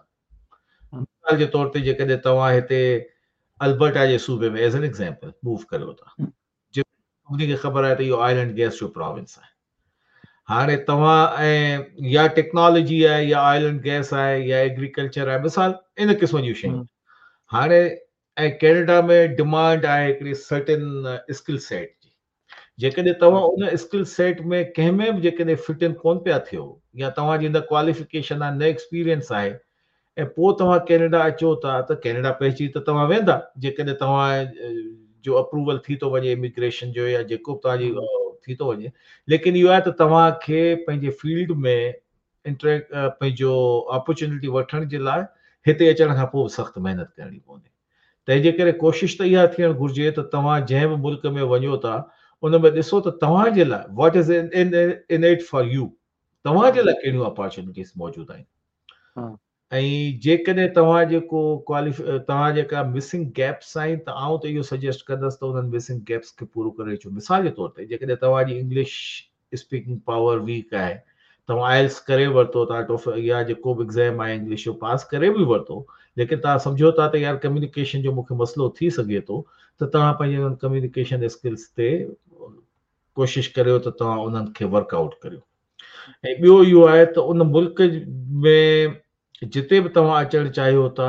مثال جي طور تي جيڪڏهن توهان هتي البرٽا جي صوبي ۾ ايز ان ايگزامپل موو ڪريو ٿا جيڪو سڀني کي خبر آهي ته اهو آئل اينڊ گيس جو پراونس آهي هاڻي توهان ۽ يا ٽيڪنالاجي آهي يا آئل اينڊ گيس آهي يا ايگريڪلچر آهي مثال ان قسم جون شيون هاڻي ۽ ڪينيڊا ۾ ڊمانڊ آهي هڪڙي سرٽن اسڪل سيٽ جي جيڪڏهن توهان ان اسڪل سيٽ ۾ ڪنهن ۾ به جيڪڏهن فٽ ان ڪون پيا ٿيو يا توهان جي نه ڪواليفڪيشن آهي نه ايڪسپيرينس آهي ۽ پوء توهان ڪينيڊا اچو ٿا ته ڪينيڊا پهچي ته توهان ويندا جيڪڏهن توهان جو اپروول ٿي ٿو وڃي اميگريشن جو يا جيڪو به توهان جي ٿي ٿو وڃي ليڪن اهو آهي ته توهان کي پنهنجي فيلڊ ۾ انٽريڪ پنهنجو اپرچونٽي وٺڻ جي لاء هتي اچڻ کان پوء به سخت محنت ڪرڻي پوندي تنهن جي ڪري ڪوشش ته اها ٿيڻ گهرجي ته توهان جنهن به ملڪ ۾ وڃو ٿا ان ۾ ڏسو ته توهان جي لاء what is in it for you توهان جي لاء ڪهڙيون اپرچونٽيز موجود آهن ۽ جيڪڏهن توهان جيڪو ڪواليف توهان جيڪا مسنگ گيپس آهن ته آئون ته اهو سجيسٽ ڪندس ته انهن مسنگ گيپس کي پورو ڪري اچو مثال جي طور تي جيڪڏهن توهان جي انگلش اسپيڪنگ پاور ويڪ آهي توهان آئلس ڪري ورتو توهان ٽوفل يا جيڪو به ايگزام آهي انگلش جو پاس ڪري به ورتو ليڪن توهان سمجهو ٿا ته يار ڪميونيڪيشن جو مونکي مسئلو ٿي سگهي ٿو ته توهان پنهنجي انهن ڪميونيڪيشن اسڪلس تي ڪوشش ڪريو ته توهان انهن کي ورڪ آئوٽ ڪريو ۽ ٻيو اهو آهي ته ان ملڪ ۾ جتي به توهان اچڻ چاهيو ٿا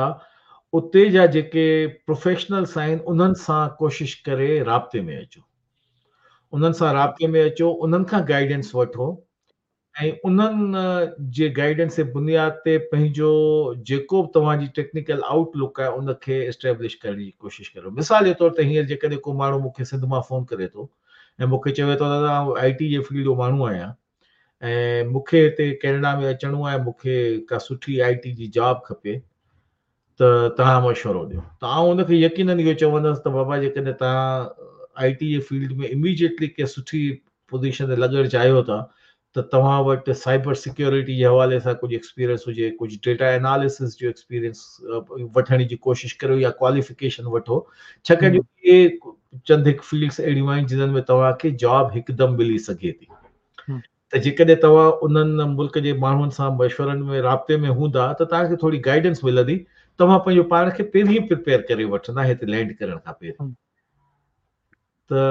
اتي جا جيڪي پروفيشنلس آهن انهن سان ڪوشش ڪري رابطي ۾ اچو انهن سان رابطي ۾ اچو انهن کان گائيڊنس وٺو ۽ انهن جي گائيڊنس جي بنياد تي پنهنجو جيڪو به توهان جي ٽيڪنيڪل آئوٽ لڪ آهي ان کي اسٽيبلش ڪرڻ جي ڪوشش ڪريو مثال جي طور تي هينئر جيڪڏهن ڪو ماڻهو مون کي سنڌ مان فون ڪري ٿو ۽ مون کي چوي ٿو دادا آئون آئي ٽي جي فيلڊ جو ماڻهو آهيان ۽ مون کي هتي ڪينيڊا ۾ اچڻو آهي مون کي ڪا سٺي آئي ٽي جي جاب کپي ته توهان مشورو ڏيو ته آئون ان کي يقينن اهو چوندس ته بابا جيڪڏهن توهان آئي ٽي جي فيلڊ ۾ اميڊيٽلي ڪنهن سٺي پوزيشن تي لڳڻ چاهيو ٿا ته توهان وٽ سائبر سيڪيورٽي جي حوالي سان ڪجهه ايڪسپيرينس هجي، ڪجهه ڊيٽا ايناليسس جو ايڪسپيرينس وٺڻ جي ڪوشش ڪريو يا ڪواليفڪيشن وٺو ڇاڪاڻ جو اهي چند هڪ فيلڊس اهڙيون آهن جنهن ۾ توهان کي جاب هڪدم ملي سگهي ٿي ته جيڪڏهن توهان انهن ملڪ جي ماڻهن سان مشورن ۾ رابطي ۾ هوندا ته توهان کي ٿوري گائيڊنس ملندي توهان پنهنجو پاڻ کي پهرين پريپيئر ڪري وٺندا هتي لينڊ ڪرڻ کان پهرين ته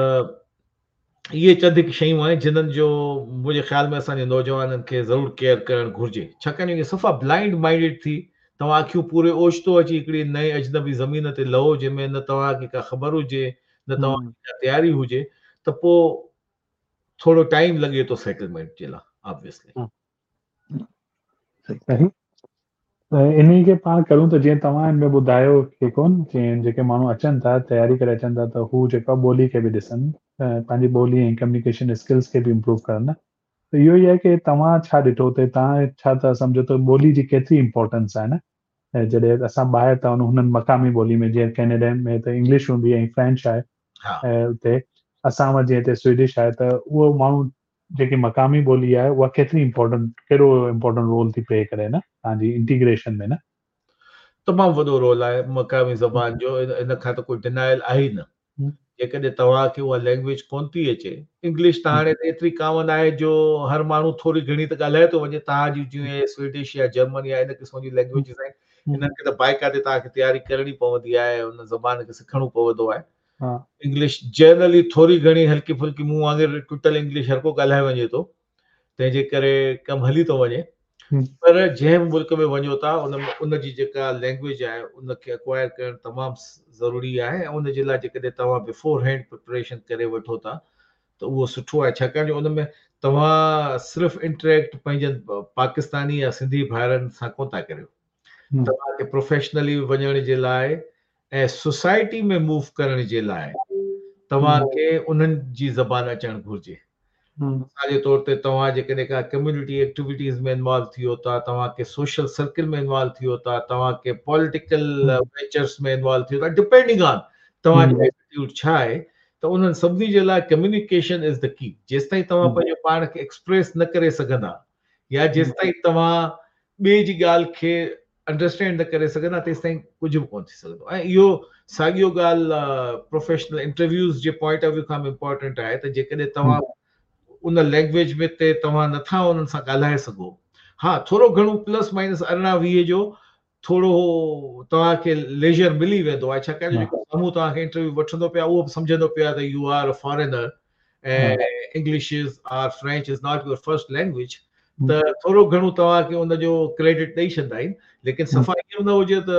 اهي چند هڪ شيون آهن جنھن جو منهنجي خيال ۾ اسان جي نوجوانن کي ضرور ڪيئر ڪرڻ گهرجي ڇاڪاڻ جو صفا بلائنڊ مائنڊيڊ ٿي توهان اکيون پوري اوچتو اچي هڪڙي نئين اجنبي زمين تي لهو جنهن ۾ نه توهان کي ڪا خبر هجي نه توهان کي ڪا تياري هجي ته پوء ٿورو ٽائيم لڳي ٿو سيٽلمينٽ جي لاء آبويسلي. صحيح ته انهي کي پاڻ ڪرون ته جيئن توهان هن ۾ ٻڌايو ڪي ڪون جيئن جيڪي ماڻهو اچن ٿا تياري ڪري اچن ٿا ته هو جيڪو ٻولي کي به ڏسن پنهنجي ٻولي ۽ ڪميونيڪيشن اسڪلز کي به امپروو ڪرن نه ته اهو ئي آهي ڪي توهان ڇا ڏٺو اتي توهان ڇا ٿا سمجهو ته ٻولي جي ڪيتري امپورٽنس آهي نه ۽ جڏهن اسان ٻاهر ٿا وڃون هنن مقامي ٻولي ۾ جيئن ڪينيڊا ۾ ته انگلش هوندي ۽ فرينچ آهي ۽ اتي اسان وٽ جيئن هتي سوئيڊش آهي ته اهو ماڻهو جيڪي مقامي ٻولي آهي اها ڪيتري امپورٽنٽ ڪهڙو امپورٽنٽ رول ٿي پلي ڪري نه توهان جي انٽيگريشن ۾ نه. تمام وڏو رول آهي مقامي زبان جو ان کان ته ڪوئي ڊنائل آهي ئي نه. جيڪڏهن توهان کي اها لينگويج ڪونه ٿي اچي، انگلش ته هاڻي ته ايتري ڪامن آهي جو هر ماڻهو ٿوري گهڻي ته ڳالهائي ٿو وڃي، توهان جون جيئن سوئيڊش يا جرمن يا ان قسم جون لينگويجز آهن، انهن کي ته باقاعدي توهان کي تياري ڪرڻي پوندي آهي، ان زبان کي سکڻو پوندو آهي. انگلش جنرلي ٿوري گهڻي هلڪي ڦلڪي مون وانگر ٽٽل انگلش هر ڪو ڳالهائي وڃي ٿو، تنهن جي ڪري ڪم هلي ٿو وڃي. پر جنهن به ملڪ ۾ وڃو ٿا ان ۾ ان جي جيڪا لينگويج آهي ان کي اڪوائر ڪرڻ تمام ضروري آهي ۽ ان جي لاء جيڪڏهن توهان بفور هينڊ پريپريشن ڪري وٺو ٿا ته اهو سٺو آهي ڇاڪاڻ جو ان ۾ توهان صرف انٽريڪٽ پنهنجن پاڪستاني يا سنڌي ڀائرن سان ڪونه ٿا ڪريو توهان کي پروفيشنلي وڃڻ جي لاء ۽ سوسائٽي ۾ موو ڪرڻ جي لاء توهان کي انهن جي زبان اچڻ گهرجي مثال جي طور تي توهان جيڪڏهن ڪا ڪميونٽي ايڪٽيوٽيز ۾ انوالو ٿيو ٿا، توهان ڪي سوشل سرڪل ۾ انوالو ٿيو ٿا، توهان ڪي پوليٽيڪل وينچرس ۾ انوالو ٿيو ٿا، ڊپينڊنگ آن توهان جو ايٽيٽيوڊ ڇا آهي ته انهن سڀني جي لاء ڪميونيڪيشن از the ڪي. جيستائين توهان پنهنجو پاڻ کي ايڪسپريس نه ڪري سگهندا يا جيستائين توهان ٻئي جي ڳالهه کي انڊرسٽينڊ نه ڪري سگهندا تيستائين ڪجهه به ڪونه ٿي سگهندو ۽ اهو ساڳيو ڳالهه پروفيشنل انٽرويوز جي پوائنٽ آف ويو کان به امپورٽنٽ آهي ته جيڪڏهن توهان ان لينگويج ۾ تي توهان نٿا انهن سان ڳالهائي سگهو ها ٿورو گهڻو پلس مائنس 18 20 جو ٿورو توهان کي ليجر ملي ويندو آهي ڇاڪاڻ جو جيڪو سامهون توهان کي انٽرويو وٺندو پيا اهو به سمجهندو پيا ته you are a foreigner ۽ English is or French is not your first language ته ٿورو گهڻو توهان کي ان جو ڪريڊٽ ڏئي ڇڏندا آهن ليڪن صفا ائين نه هجي ته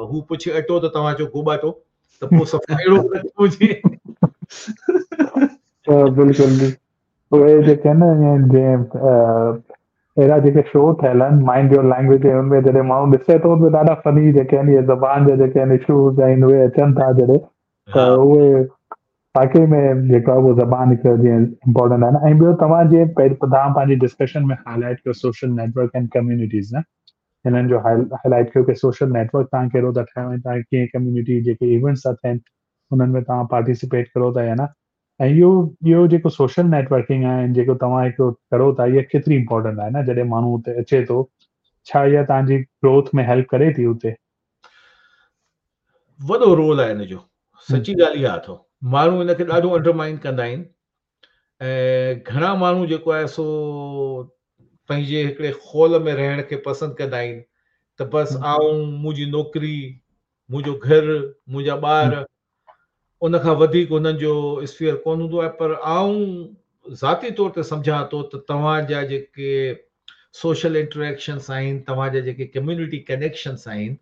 هو پڇي اٽو ته توهان چئو گوٻاٽو ته پوء صفا اهڙو نه هجي. بلڪل اهي جيڪي آهن جيئن اهڙا جيڪي شو ٺهيل آهن مائنڊ your language ان ۾ جڏهن ماڻهو ڏسي ٿو ته ڏاڍا فني جيڪي آهن اهي زبان جا جيڪي آهن اشوز آهن اهي اچن ٿا جڏهن ته اهي واقعي ۾ جيڪو آهي اهو زبان هڪ جيئن امپورٽنٽ آهي نه ۽ ٻيو توهان جيئن توهان پنهنجي ڊسڪشن ۾ هاء لائيٽ ڪيو سوشل نيٽورڪ اينڊ ڪميونٽيز نه هنن جو هاء لائيٽ ڪيو ڪي سوشل نيٽورڪ توهان ڪهڙو ٿا ٺاهيو ۽ توهان ڪيئن ڪميونٽي جيڪي ايونٽس ٿا ٿين انهن ۾ توهان پارٽيسپيٽ ڪرو ٿا يا نه ۽ اهو اهو جيڪو سوشل نيٽورڪنگ آهي جيڪو توهان هڪ ڪرو ٿا اها ڪيتري امپورٽنٽ آهي نه جڏهن ماڻهو اتي اچي ٿو ڇا اها توهان جي گروٿ ۾ هيلپ ڪري ٿي اتي؟ وڏو رول آهي ان جو سچي ڳالهه اها اٿو ماڻهو ان کي ڏاڍو انڊرمائن ڪندا آهن ۽ گهڻا ماڻهو جيڪو آهي سو پنهنجي هڪڙي خول ۾ رهڻ کي پسند ڪندا آهن ته بس آئون منهنجي نوڪري منهنجو گهر منهنجا ٻار ان کان وڌيڪ هنن جو اسفيئر ڪونه هوندو آهي پر آئون ذاتي طور تي سمجهان ٿو ته توهان جا جيڪي سوشل انٽريڪشنس آهن توهان جا جيڪي ڪميونٽي ڪنيڪشنس آهن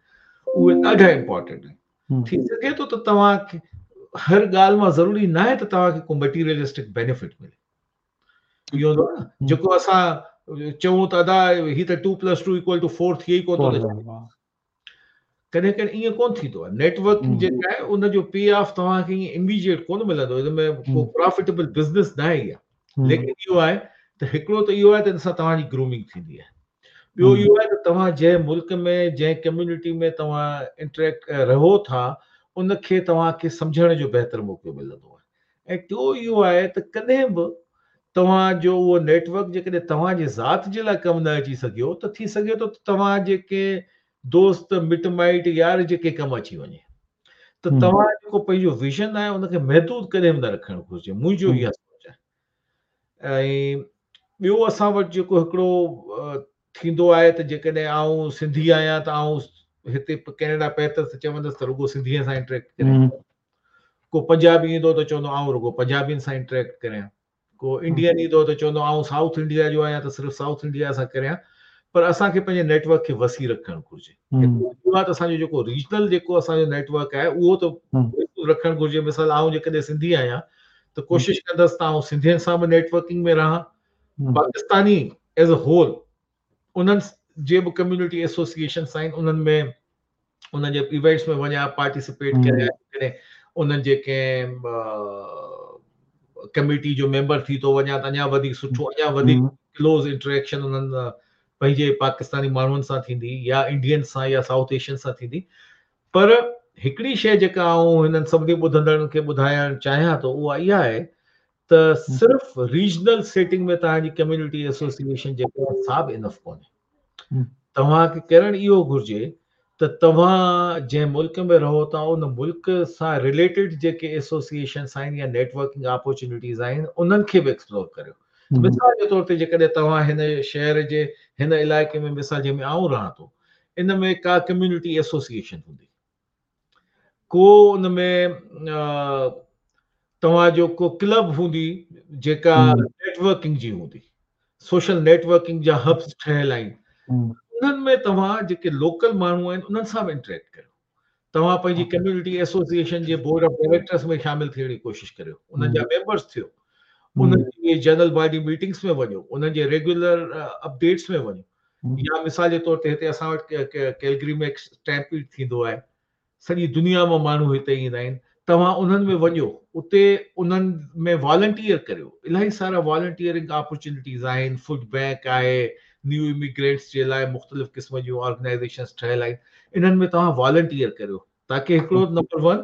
اهي ڏاڍا امپورٽنٽ آهن ٿي سگهي ٿو ته توهان کي هر ڳالهه مان ضروري ناهي ته توهان کي ڪو مٽيريلسٽڪ بينيفٽ ملي اهو هوندو آهي نه جيڪو اسان چئون ته ادا هي ته 2 پلس 2 ايڪول ٽو 4 ٿئي ئي ڪونه ٿو ڪڏهن ڪڏهن ائين ڪونه ٿيندو آهي نيٽورڪنگ جيڪا آهي ان جو پي آف توهان کي ائين اميڊيٽ ڪونه ملندو ان ۾ ڪو پرافيٽيبل بزنس نه آهي اها ليڪن اهو آهي ته هڪڙو ته اهو آهي ته ان سان توهان جي گرومنگ ٿيندي آهي ٻيو اهو آهي ته توهان جنهن ملڪ ۾ جنهن ڪميونٽي ۾ توهان انٽريڪٽ رهو ٿا ان کي توهان کي سمجهڻ جو بهتر موقعو ملندو آهي ۽ ٽيو اهو آهي ته ڪڏهن به توهان جو اهو نيٽ ورڪ جيڪڏهن توهان جي ذات جي لاء ڪم نه اچي سگهيو ته ٿي سگهي ٿو ته توهان جي ڪنهن دوست، مٽ مائٽ، يار جي ڪنهن ڪم اچي وڃي ته توهان جيڪو پنهنجو ويزن آهي ان کي محدود ڪڏهن به نه رکڻ گهرجي منهنجو اها سوچ آهي ۽ ٻيو اسان وٽ جيڪو هڪڙو ٿيندو آهي ته جيڪڏهن آئون سنڌي آهيان ته آئون هتي ڪينيڊا پهتس ته چوندس ته رڳو سنڌي سان انٽريڪٽ ڪريان ڪو پنجابي ايندو ته چوندو آئون رڳو پنجابين سان انٽريڪٽ ڪريان ڪو انڊين ايندو ته چوندو آئون سائوٿ انڊيا جو آهيان ته صرف سائوٿ انڊيا سان ڪريان پر اسان کي پنهنجي نيٽ ورڪ کي وسيع رکڻ گهرجي هڪ اهو ته اسان جو جيڪو ريجنل جيڪو اسان جو نيٽ ورڪ آهي اهو ته رکڻ گهرجي مثال آئون جيڪڏهن سنڌي آهيان ته ڪوشش ڪندس ته آئون سنڌين سان به نيٽ ورڪنگ ۾ رهان پاڪستاني ايز ا هول انهن جي به ڪميونٽي ايسوسيئيشنس آهن انهن ۾ انهن جي ايونٽس ۾ وڃان پارٽيسپيٽ ڪريان ڪڏهن انهن جي ڪنهن ڪميٽي جو ميمبر ٿي ٿو وڃان ته اڃا وڌيڪ سٺو اڃا وڌيڪ ڪلوز انٽريڪشن انهن پنهنجي پاڪستاني ماڻهن سان ٿيندي يا انڊين سان يا سائوٿ ايشين سان ٿيندي پر هڪڙي شيء جيڪا آئون هنن سڀني ٻڌندڙن کي ٻڌائڻ چاهيان ٿو اها اها آهي ته صرف ريجنل سيٽنگ ۾ توهان جي ڪميونٽي ايسوسيئيشن جيڪا آهي سا به انف ڪونهي. توهان کي ڪرڻ اهو گهرجي ته توهان جنهن ملڪ ۾ رهو ٿا ان ملڪ سان رليٽيڊ جيڪي ايسوسيئيشنس آهن يا نيٽورڪنگ اپورچونيٽيز آهن انهن کي به ايڪسپلور ڪريو. مثال جي طور تي جيڪڏهن توهان هن شهر جي هن علائقي ۾ مثال جنهن ۾ آئون رهان ٿو ان ۾ ڪا ڪميونٽي ايسوسيئيشن هوندي ڪو ان ۾ توهان جو ڪو ڪلب هوندي جيڪا نيٽورڪنگ جي هوندي سوشل نيٽورڪنگ جا هبس ٺهيل آهن انهن ۾ توهان جيڪي لوڪل ماڻهو آهن انهن سان به انٽريڪٽ ڪريو توهان پنهنجي ڪميونٽي ايسوسيئيشن جي بورڊ آف ڊائريڪٽرس ۾ شامل ٿيڻ جي ڪوشش ڪريو انهن جا ميمبرس ٿيو انهن جي جنرل باڊي ميٽنگس ۾ وڃو انهن جي ريگيولر اپڊيٽس ۾ وڃو يا مثال جي طور تي هتي اسان وٽ ڪيلگري ۾ اسٽيمپيڊ ٿيندو آهي سڄي دنيا مان ماڻهو هتي ايندا آهن توهان انهن ۾ وڃو اتي انهن ۾ والنٽيئر ڪريو الاهي سارا والنٽيئرنگ اپورچونيٽيز آهن فوڊ بينڪ آهي نيو اميگرينٽس جي لاء مختلف قسم جون آرگنائزيشنس ٺهيل آهن انهن ۾ توهان والنٽيئر ڪريو تاڪي هڪڙو نمبر ون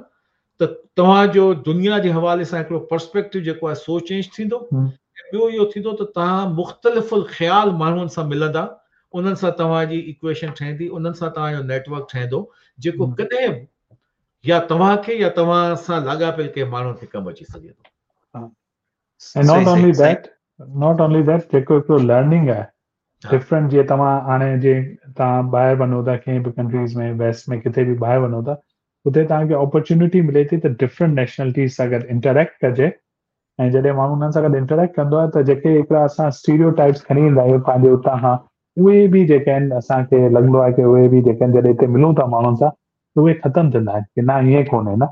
ته توهان جو دنيا جي حوالي سان هڪڙو پرسپيڪٽو جيڪو آهي سو چينج ٿيندو ۽ ٻيو اهو ٿيندو ته توهان مختلف الخيال ماڻهن سان ملندا انهن سان توهان جي ايڪويشن ٺهندي انهن سان توهان جو نيٽورڪ ٺهندو جيڪو ڪڏهن به يا توهان کي يا توهان سان لاڳاپيل ڪنهن ماڻهو کي ڪم اچي سگهي ٿو. ۽ Not only that not only that جيڪو هڪڙو لرننگ آهي ڊفرنٽ جيئن توهان هاڻي جي توهان ٻاهر وڃو ٿا ڪنهن به ڪنٽريز ۾ ويسٽ ۾ ڪٿي به ٻاهر وڃو ٿا اتي توهان کي اپرچونٽي ملي ٿي ته ڊفرنٽ نيشنلٽيز سان گڏ انٽريڪٽ ڪجي ۽ جڏهن ماڻهو انهن سان گڏ انٽريڪٽ ڪندو آهي ته جيڪي هڪڙا اسان اسٽيريو ٽائپس کڻي ايندا آهيون پنهنجي اتان کان اهي به جيڪي آهن اسان کي لڳندو آهي ڪي اهي به جيڪي آهن جڏهن هتي ملون ٿا ماڻهن سان ته اهي ختم ٿيندا آهن ڪي نه ائين ڪونهي نه.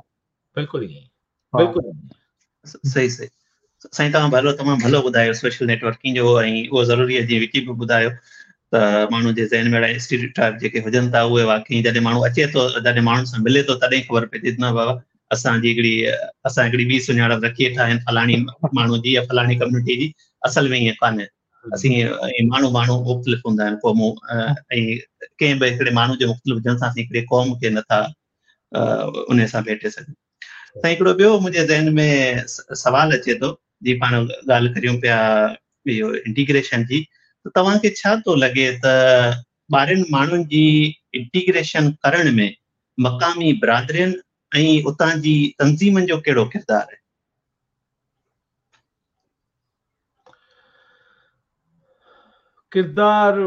بلڪل ائين بلڪل صحيح صحيح سائين توهان ڀلو تمام ڀلو ٻڌايو سوشل نيٽورڪنگ جو ۽ اهو ضروري آهي جيئن وڪي به ٻڌايو ته ماڻهو جي ذهن ۾ اهڙا اسٽيريوٽائپ جيڪي هجن ٿا اهي واقعي جڏهن ماڻهو اچي ٿو جڏهن ماڻهن سان ملي ٿو تڏهن خبر پئي ٿي نه بابا اسان جي هڪڙي اسان هڪڙي ٻي سڃاڻپ رکي ويٺا آهن فلاڻي ماڻهو جي يا فلاڻي ڪميونٽي جي اصل ۾ ائين ڪانهي اسين ماڻهو ماڻهو مختلف هوندا آهن قومون ۽ ڪنهن به هڪڙي ماڻهو جي مختلف هجڻ سان اسين هڪڙي قوم کي نٿا ان سان ڀيٽي سگهون. سائين هڪڙو ٻيو منهنجي ذهن ۾ سوال اچي ٿو جي پاڻ ڳالهه ڪريون پيا اهو انٽيگريشن جي ته توهان کي ڇا ٿو لڳي ته ٻاهرين ماڻهن جي انٽيگريشن ڪرڻ ۾ مقامي برادرين ۽ اتان جي تنظيمن جو ڪهڙو ڪردار آهي؟ ڪردار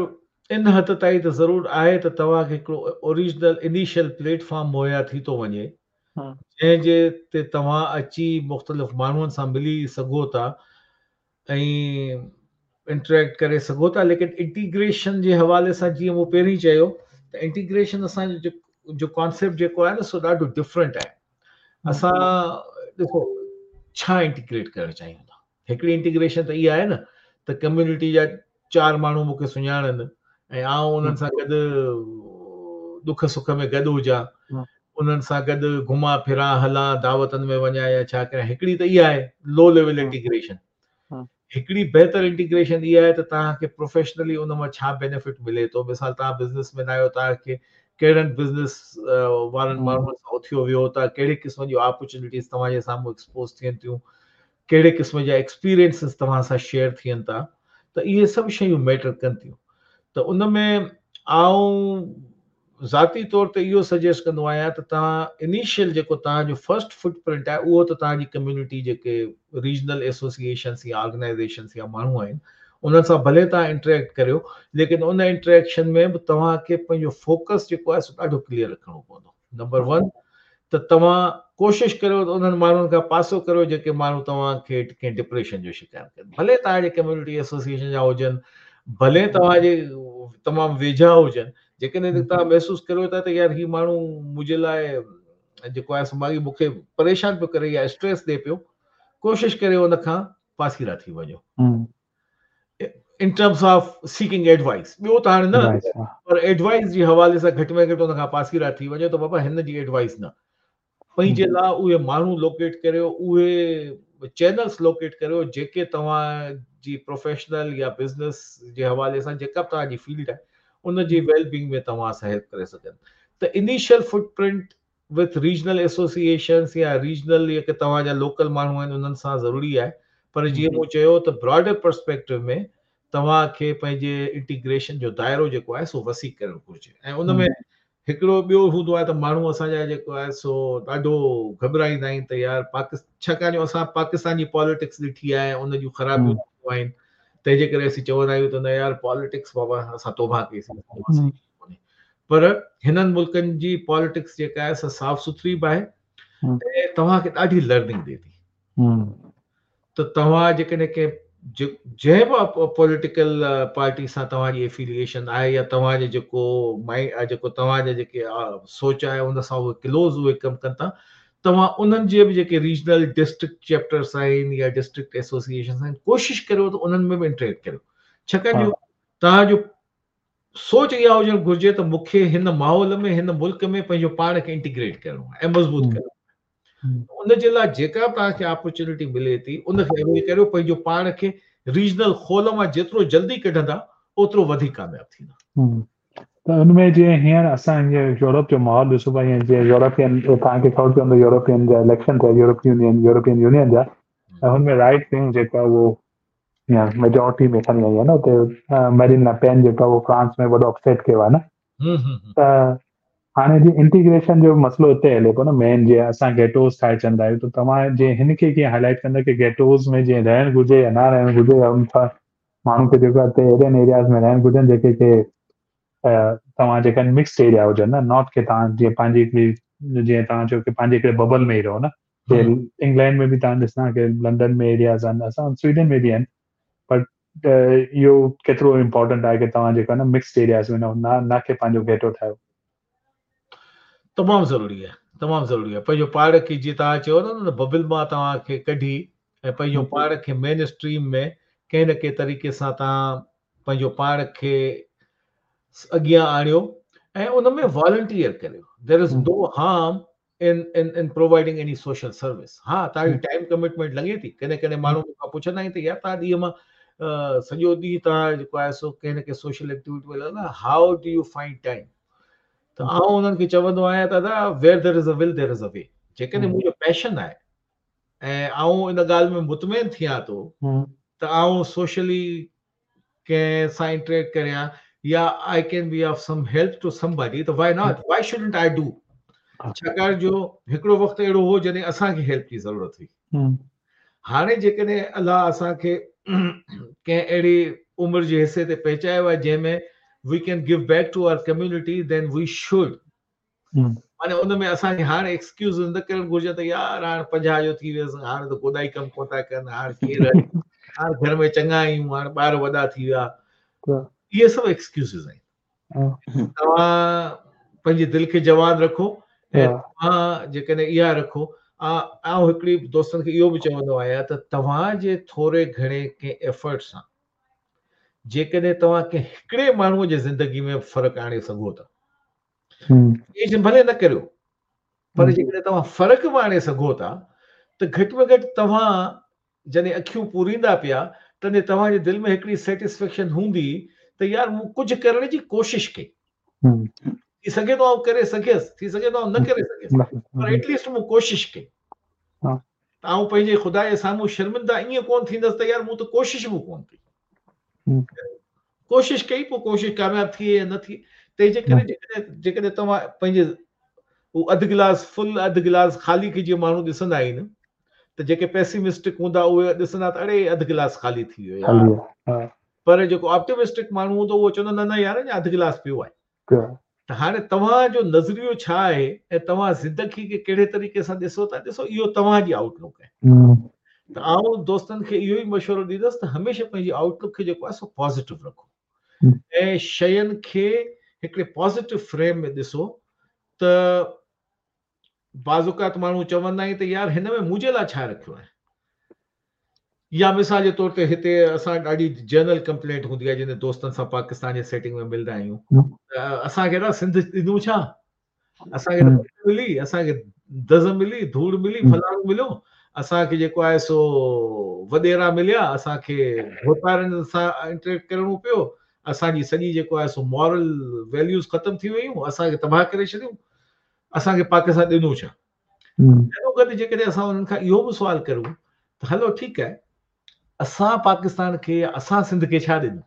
ان حد تائين ته ضرور آهي ته توهان کي هڪڙو اوريجنل انيشل پليٽ فارم مهيا ٿي ٿو وڃي جنهن جي تي توهان اچي مختلف ماڻهن سان ملي سگهو ٿا ۽ انٽريڪٽ ڪري سگهو ٿا ليڪن انٽيگريشن جي حوالي سان جيئن مون پهرين چيو ته انٽيگريشن اسان جو جو ڪانسيپٽ جيڪو آهي نه سو ڏاڍو ڊفرنٽ آهي اسان ڏسو ڇا انٽيگريٽ ڪرڻ چاهيون ٿا هڪڙي انٽيگريشن ته اها آهي نه ته ڪميونٽي جا چار ماڻهو مون کي سڃاڻن ۽ آئون انهن سان گڏ ڏک سک ۾ گڏ هجان انهن سان گڏ گهمان ڦران هلان دعوتن ۾ وڃان يا ڇا ڪريان هڪڙي ته اها آهي لو ليول انٽيگريشن هڪڙي بهتر انٽيگريشن اها آهي ته توهان کي پروفيشنلي ان مان ڇا بينيفٽ ملي ٿو مثال توهان بزنس مين آهيو توهان کي ڪهڙن بزنس وارن ماڻهن سان اٿيو ويهو ٿا ڪهڙي قسم جون اپورچونيٽيز توهان جي سامهون ايڪسپوز ٿين ٿيون ڪهڙي قسم جا ايڪسپيرينسز توهان سان شيئر ٿين ٿا ته اهي سڀ شيون ميٽر ڪن ٿيون ته ان ۾ آئون ذاتي طور تي اهو سجيسٽ ڪندو آهيان ته توهان انيشل جيڪو توهان جو فرسٽ فٽ پرنٽ آهي اهو ته توهان جي ڪميونٽي جيڪي ريجنل ايسوسيئيشنس يا آرگنائيزيشنس يا ماڻهو آهن انهن سان ڀلي توهان انٽريڪٽ ڪريو ليڪن ان انٽريڪشن ۾ به توهان کي پنهنجو فوڪس جيڪو آهي سو ڏاڍو ڪليئر رکڻو پوندو نمبر ون ته توهان ڪوشش ڪريو ته انهن ماڻهن کان پاسو ڪريو جيڪي ماڻهو توهان کي ڪنهن ڊپريشن جو شڪار ڪن ڀلي توهان جي ڪميونٽي ايسوسيئيشن جا هجن ڀلي توهان جي تمام ويجها هجن جيڪڏهن توهان محسوس ڪريو ٿا ته يار هي ماڻهو منهنجي لاء جيڪو آهي سو ماڳي مون کي پريشان پيو ڪري يا اسٽريس ڏي پيو ڪوشش ڪريو ان کان پاسيرا ٿي وڃو in terms of seeking advice ٻيو ته هاڻي نه پر ايڊوائس جي حوالي سان گهٽ ۾ گهٽ ان کان پاسيرا ٿي وڃو ته بابا هن جي ايڊوائس نه پنهنجي لاء اهي ماڻهو لوڪيٽ ڪريو، اهي چينلز لوڪيٽ ڪريو جيڪي توهان جي پروفيشنل يا بزنس جي حوالي سان جيڪا به توهان جي فيلڊ آهي ان جي ويل بينگ ۾ توهان سان هيلپ ڪري سگهن ته initial footprint with regional associations يا ريجنل جيڪي توهان جا لوڪل ماڻهو آهن انهن سان ضروري آهي پر جيئن مون چيو ته براڊر پرسپيڪٽو ۾ توهان کي پنهنجي انٽيگريشن جو دائرو جيڪو آهي سو وسيع ڪرڻ گهرجي ۽ ان ۾ هڪڙو ٻيو هوندو آهي ته ماڻهو اسان جا جيڪو آهي سو ڏاڍو گهٻرائيندا آهن ته يار پاڪستان ڇاڪاڻ جو اسان پاڪستان جي پاليٽڪس ڏٺي آهي ان جون خرابيون آهن تنهن جي ڪري اسين چوندا آهيون ته نه يار پاليٽڪس بابا اسان توبه ڪئي سين ڪونهي پر هنن ملڪن جي پاليٽڪس جيڪا آهي سا صاف سٿري به آهي ۽ توهان کي ڏاڍي لرننگ ڏي ٿي ته توهان جيڪڏهن ڪنهن جنهن به پوليٽيڪل پارٽي سان توهان جي افيليئيشن آهي يا توهان جي جيڪو مائنڊ جيڪو توهان جا جيڪي سوچ آهي ان سان اهي ڪلوز اهي ڪم ڪن ٿا توهان انهن جي به جيڪي ريجنل ڊسٽرڪٽ چيپٽرس آهن يا ڊسٽرڪٽ ايسوسيئيشنس آهن ڪوشش ڪريو ته انهن ۾ به انٽريڪٽ ڪريو ڇاڪاڻ جو توهان جو سوچ اها هجڻ گهرجي ته مون کي هن ماحول ۾ هن ملڪ ۾ پنهنجو پاڻ کي انٽيگريٽ ڪرڻو آهي ۽ مضبوط ڪرڻو آهي ان جي لاء جيڪا به توهان کي اپرچونٽي ملي ٿي ان کي اويل ڪريو پنهنجو پاڻ کي ريجنل خول مان جيترو جلدي ڪڍندا اوترو وڌيڪ ڪامياب ٿيندا. ته ان ۾ جيئن هينئر اسان هينئر يورپ جو ماحول ڏسون پيا هينئر جيئن يورپين توهان کي خبر پوندو يورپين جا اليڪشن ٿيا يورپ يونين يورپين يونين جا ۽ هن ۾ رائٽ ونگ جيڪا اهو يا ميجارٽي ۾ کڻي آئي آهي نه اتي ميرين لا پين جيڪا اهو فرانس ۾ وڏو اپسيٽ ڪيو آهي نه ته هاڻي جي انٽيگريشن جو مسئلو اتي هلي پيو نه مين جي اسان گيٽوز ٺاهي ڇڏندا آهيون ته توهان جي هن کي ڪيئن هائلائٽ ڪندا ڪي گيٽوز ۾ جيئن رهڻ گهرجي يا نه رهڻ گهرجي يا ان سان ماڻهو کي جيڪو اتي اهڙن ايرياز ۾ رهڻ گهرجن جيڪي ڪي توهان جيڪا مڪسڊ ايريا هجن نه not ڪي توهان جيئن پنهنجي هڪڙي جيئن توهان چيو ڪي پنهنجي هڪڙي ببل ۾ ئي رهو نه انگلينڊ ۾ به توهان ڏسندا ڪي لنڊن ۾ ايرياز آهن اسان سويڊن ۾ به آهن بٽ اهو ڪيترو امپورٽنٽ آهي ڪي توهان جيڪو نه مڪسڊ ايرياز ۾ نه نه ڪي پنهنجو گيٽو ٺاهيو. تمام ضروري آهي تمام ضروري آهي پنهنجو پاڻ کي جيئن توهان چيو نه ببل مان توهان کي ڪڍي ۽ پنهنجو پاڻ کي مين اسٽريم ۾ ڪنهن نه ڪنهن طريقي سان توهان پنهنجو پاڻ کي اڳيان آڻيو ۽ ان ۾ والنٽيئر ڪريو there is no harm in in in providing any social service ها توهان جي ٽائيم ڪمٽمينٽ لڳي ٿي ڪڏهن ڪڏهن ماڻهو مون کان پڇندا آهن ته يار توهان ڏينهن مان سڄو ڏينهن توهان جيڪو آهي سو ڪنهن نه ڪنهن سوشل ايڪٽيوٽي ۾ لڳندا how do you find time ته آئون انهن کي چوندو آهيان ته ادا where there is a will there is a way جيڪڏهن منهنجو پيشن آهي ۽ آئون ان ڳالهه ۾ مطمئن ٿيان ٿو ته آئون سوشلي ڪنهن سان انٽريڪٽ ڪريان يا I can be of some help to somebody ته why not why shouldn't I do ڇاڪاڻ جو هڪڙو وقت اهڙو هو جڏهن اسان کي هيلپ جي ضرورت هئي هاڻي جيڪڏهن الله اسان کي ڪنهن اهڙي عمر جي حصي تي پهچايو آهي جنهن ۾ we can give back to our community then we should معني ان ۾ اسان کي هاڻ ايڪسڪيوز نه ڪرڻ گهرجي ته يار هاڻ 50 جو ٿي ويس هاڻ ته گوڏا ئي ڪم ڪونه ٿا ڪن هاڻ ڪير هاڻ گهر ۾ چڱا آهيون هاڻ ٻار وڏا ٿي ويا اهي سڀ ايڪسڪيوزز آهن توهان پنهنجي دل کي جوان رکو ۽ توهان جيڪڏهن اها رکو آئون هڪڙي دوستن کي اهو به چوندو آهيان ته توهان جي ٿوري گهڻي ڪنهن ايفرٽ سان جيڪڏهن توهان ڪنهن هڪڙي ماڻهوء جي زندگي ۾ فرق آڻي سگهو ٿا چينج ڀلي نه ڪريو پر جيڪڏهن توهان فرق به آڻي سگهو ٿا ته گهٽ ۾ گهٽ توهان جڏهن اکيون پوريندا پيا تڏهن توهان جي دل ۾ هڪڙي سيٽسفيڪشن هوندي ته يار مون ڪجهه ڪرڻ جي ڪوشش ڪئي. ٿي سگهي ٿو آئون ڪري سگهيس، ٿي سگهي ٿو آئون نه ڪري سگهيس پر ايٽ ليسٽ مون ڪوشش ڪئي. ته آئون پنهنجي خدا جي سامهون شرمنده ائين ڪونه ٿيندس ته يار مون ته ڪوشش به ڪونه ڪئي. ڪوشش ڪئي پوء ڪوشش ڪامياب ٿئي يا نه ٿئي تنهن جي ڪري جيڪڏهن جيڪڏهن توهان پنهنجي هو اڌ گلاس فل اڌ گلاس خالي کي جيئن ماڻهو ڏسندا آهن ته جيڪي پيسيمسٽڪ هوندا اهي ڏسندا ته اڙي اڌ گلاس خالي ٿي ويو يار پر جيڪو آپٽيمسٽڪ ماڻهو هوندو اهو چوندو نه نه يار اڃا اڌ گلاس پيو آهي ته هاڻي توهان جو نظريو ڇا آهي ۽ توهان زندگي کي ڪهڙي طريقي سان ڏسو ٿا ڏسو اهو توهان جي آئوٽ لڪ آهي ته آئون دوستن کي اهو ئي مشورو ڏيندس ته هميشه پنهنجي آئوٽ لڪ کي جيڪو آهي سو پازيٽو رکو ۽ شين کي هڪڙي پازيٽو فريم ۾ ڏسو ته بعض اوقات ماڻهو چوندا آهن ته يار هن ۾ منهنجي لاء ڇا رکيو آهي يا مثال جي طور تي هتي اسان ڏاڍي جنرل ڪمپلينٽ هوندي آهي جنهن دوستن سان پاڪستان جي سيٽنگ ۾ ملدا آهيون اسان کي سنڌ ڏنو ڇا اسان کي ملي اسان کي دز ملي، ڌوڙ ملي، فلاڻو مليو، اسان کي جيڪو آهي سو وڏيرا مليا، اسان کي ڀوتارن سان انٽريڪٽ ڪرڻو پيو، اسان جي سڄي جيڪو آهي سو مورل ويليوز ختم ٿي ويون، اسان کي تباهه ڪري ڇڏيون، اسان کي پاڪستان ڏنو ڇا؟ گڏوگڏ جيڪڏهن اسان انهن کان اهو به سوال ڪريون ته هلو ٺيڪ آهي اسان پاڪستان کي يا اسان سنڌ کي ڇا ڏنو؟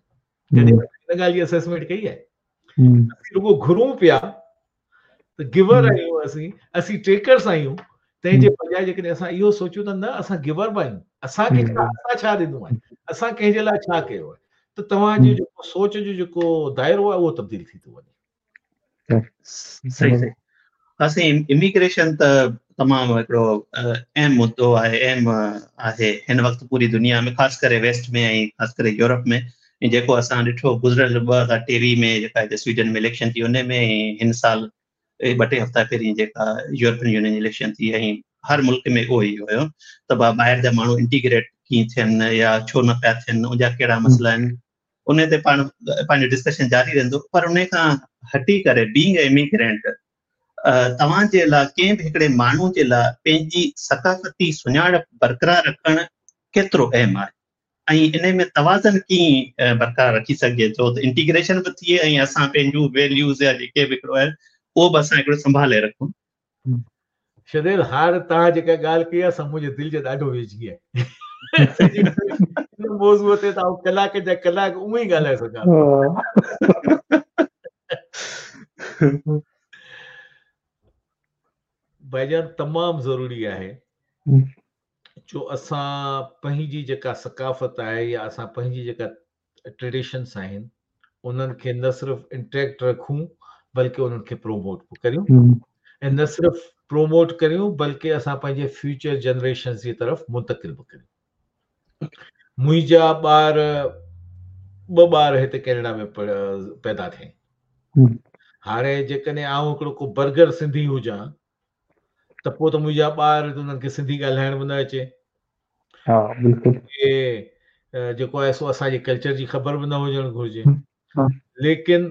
ڪڏهن ان ڳالهه جي اسيسمينٽ ڪئي آهي؟ اسين رڳو گهرون پيا ته گيور آهيون اسين، اسين ٽيڪرس آهيون، تنهن جي بجاء جيڪڏهن اسان اهو سوچيون ته نه اسان گيور به آهيون، اسان کي ڇا اسان ڇا ڏنو آهي، اسان ڪنهن جي لاء ڇا ڪيو آهي ته توهان جو جيڪو سوچ جو جيڪو دائرو آهي اهو تبديل ٿي ٿو وڃي. صحيح صحيح اسين اميگريشن ته تمام هڪڙو اهم مدو آهي اهم آهي هن وقت پوري دنيا ۾ خاص ڪري ويسٽ ۾ ۽ خاص ڪري يورپ ۾ ۽ جيڪو اسان ڏٺو گذريل 2023 ۾ جيڪا هتي سوئيڊن ۾ اليڪشن ٿي ان ۾ هن سال ٻه ٽي هفتا پهرين جيڪا يورپين يونين جي اليڪشن ٿي ۽ هر ملڪ ۾ اهو ئي هيو ته ٻاهر جا ماڻهو انٽيگريٽ ڪيئن ٿين يا ڇو نه پيا ٿين ان جا ڪهڙا مسئلا آهن ان تي پاڻ پنهنجو ڊسڪشن جاري رهندو پر ان کان هٽي ڪري بينگ اي اميگرينٽ توهان جي لاء ڪنهن به هڪڙي ماڻهو جي لاء پنهنجي ثقافتي سڃاڻپ برقرار رکڻ ڪيترو اهم آهي ۽ ان ۾ توازن ڪيئن برقرار رکي سگهجي ٿو ته انٽيگريشن به ٿئي ۽ اسان پنهنجون ويليوز يا جيڪي به هڪڙو آهي اهو به اسان هڪڙو سنڀالي رکون. شديل هاڻ توهان جيڪا ڳالهه ڪئي آهي سا منهنجي دل جي ڏاڍو ويجهي آهي. ان موضوع تي ته آئون ڪلاڪ جا ڪلاڪ اونئن ئي ڳالهائي سگهان ٿو. ڀائيجان تمام ضروري آهي جو اسان پنهنجي جيڪا ثقافت آهي يا اسان پنهنجي جيڪا ٽريڊيشنس آهن انهن کي نه صرف انٽيڪٽ رکون بلڪه انهن کي پروموٽ به ڪريون ۽ نه صرف پروموٽ ڪريون بلڪه اسان پنهنجي فيوچر جنريشنس جي طرف منتقل به ڪريون. منهنجا ٻار ٻه ٻار هتي ڪينيڊا ۾ پيدا ٿيا آهن. هاڻي جيڪڏهن آئون هڪڙو ڪو برگر سنڌي هجان ته پوء ته منهنجا ٻار انهن کي سنڌي ڳالهائڻ به نه اچي. ها بلڪل. جيڪو آهي سو اسان جي ڪلچر جي خبر به نه هجڻ گهرجي. ليڪن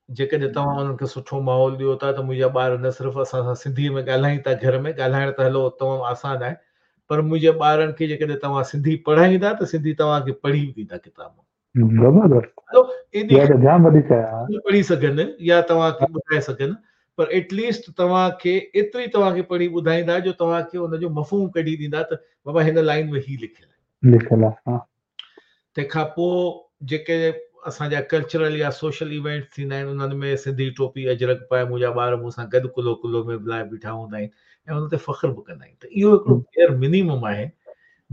جيڪڏهن توهان انهن کي سٺو ماحول ڏيو ٿا ته منهنجا ٻار نه صرف اسان سان سنڌي ۾ ڳالهائين ٿا گهر ۾ ڳالهائڻ ته هلو تمام آسان آهي پر منهنجي ٻارن کي جيڪڏهن توهان سنڌي پڙهائيندا ته سنڌي توهان کي پڙهي به ڏيندا ڪتاب. زبردست اها ته جام وڏي شيء آهي. پڙهي سگهن يا توهان کي ٻڌائي سگهن پر ايٽ ليسٽ توهان کي ايتري توهان کي پڙهي ٻڌائيندا جو توهان کي ان جو مفهوم ڪڍي ڏيندا ته بابا هن لائين ۾ هي لکيل آهي. لکيل آهي ها. تنهن کان پوء جيڪي اسان جا ڪلچرل يا سوشل ايونٽس ٿيندا آهن انهن ۾ سنڌي ٽوپي اجرڪ پائي منهنجا ٻار مون سان گڏ ڪلهو ڪلهو ۾ ملائي بيٺا هوندا آهن ۽ ان تي فخر به ڪندا آهن ته اهو هڪڙو بيئر منيمم آهي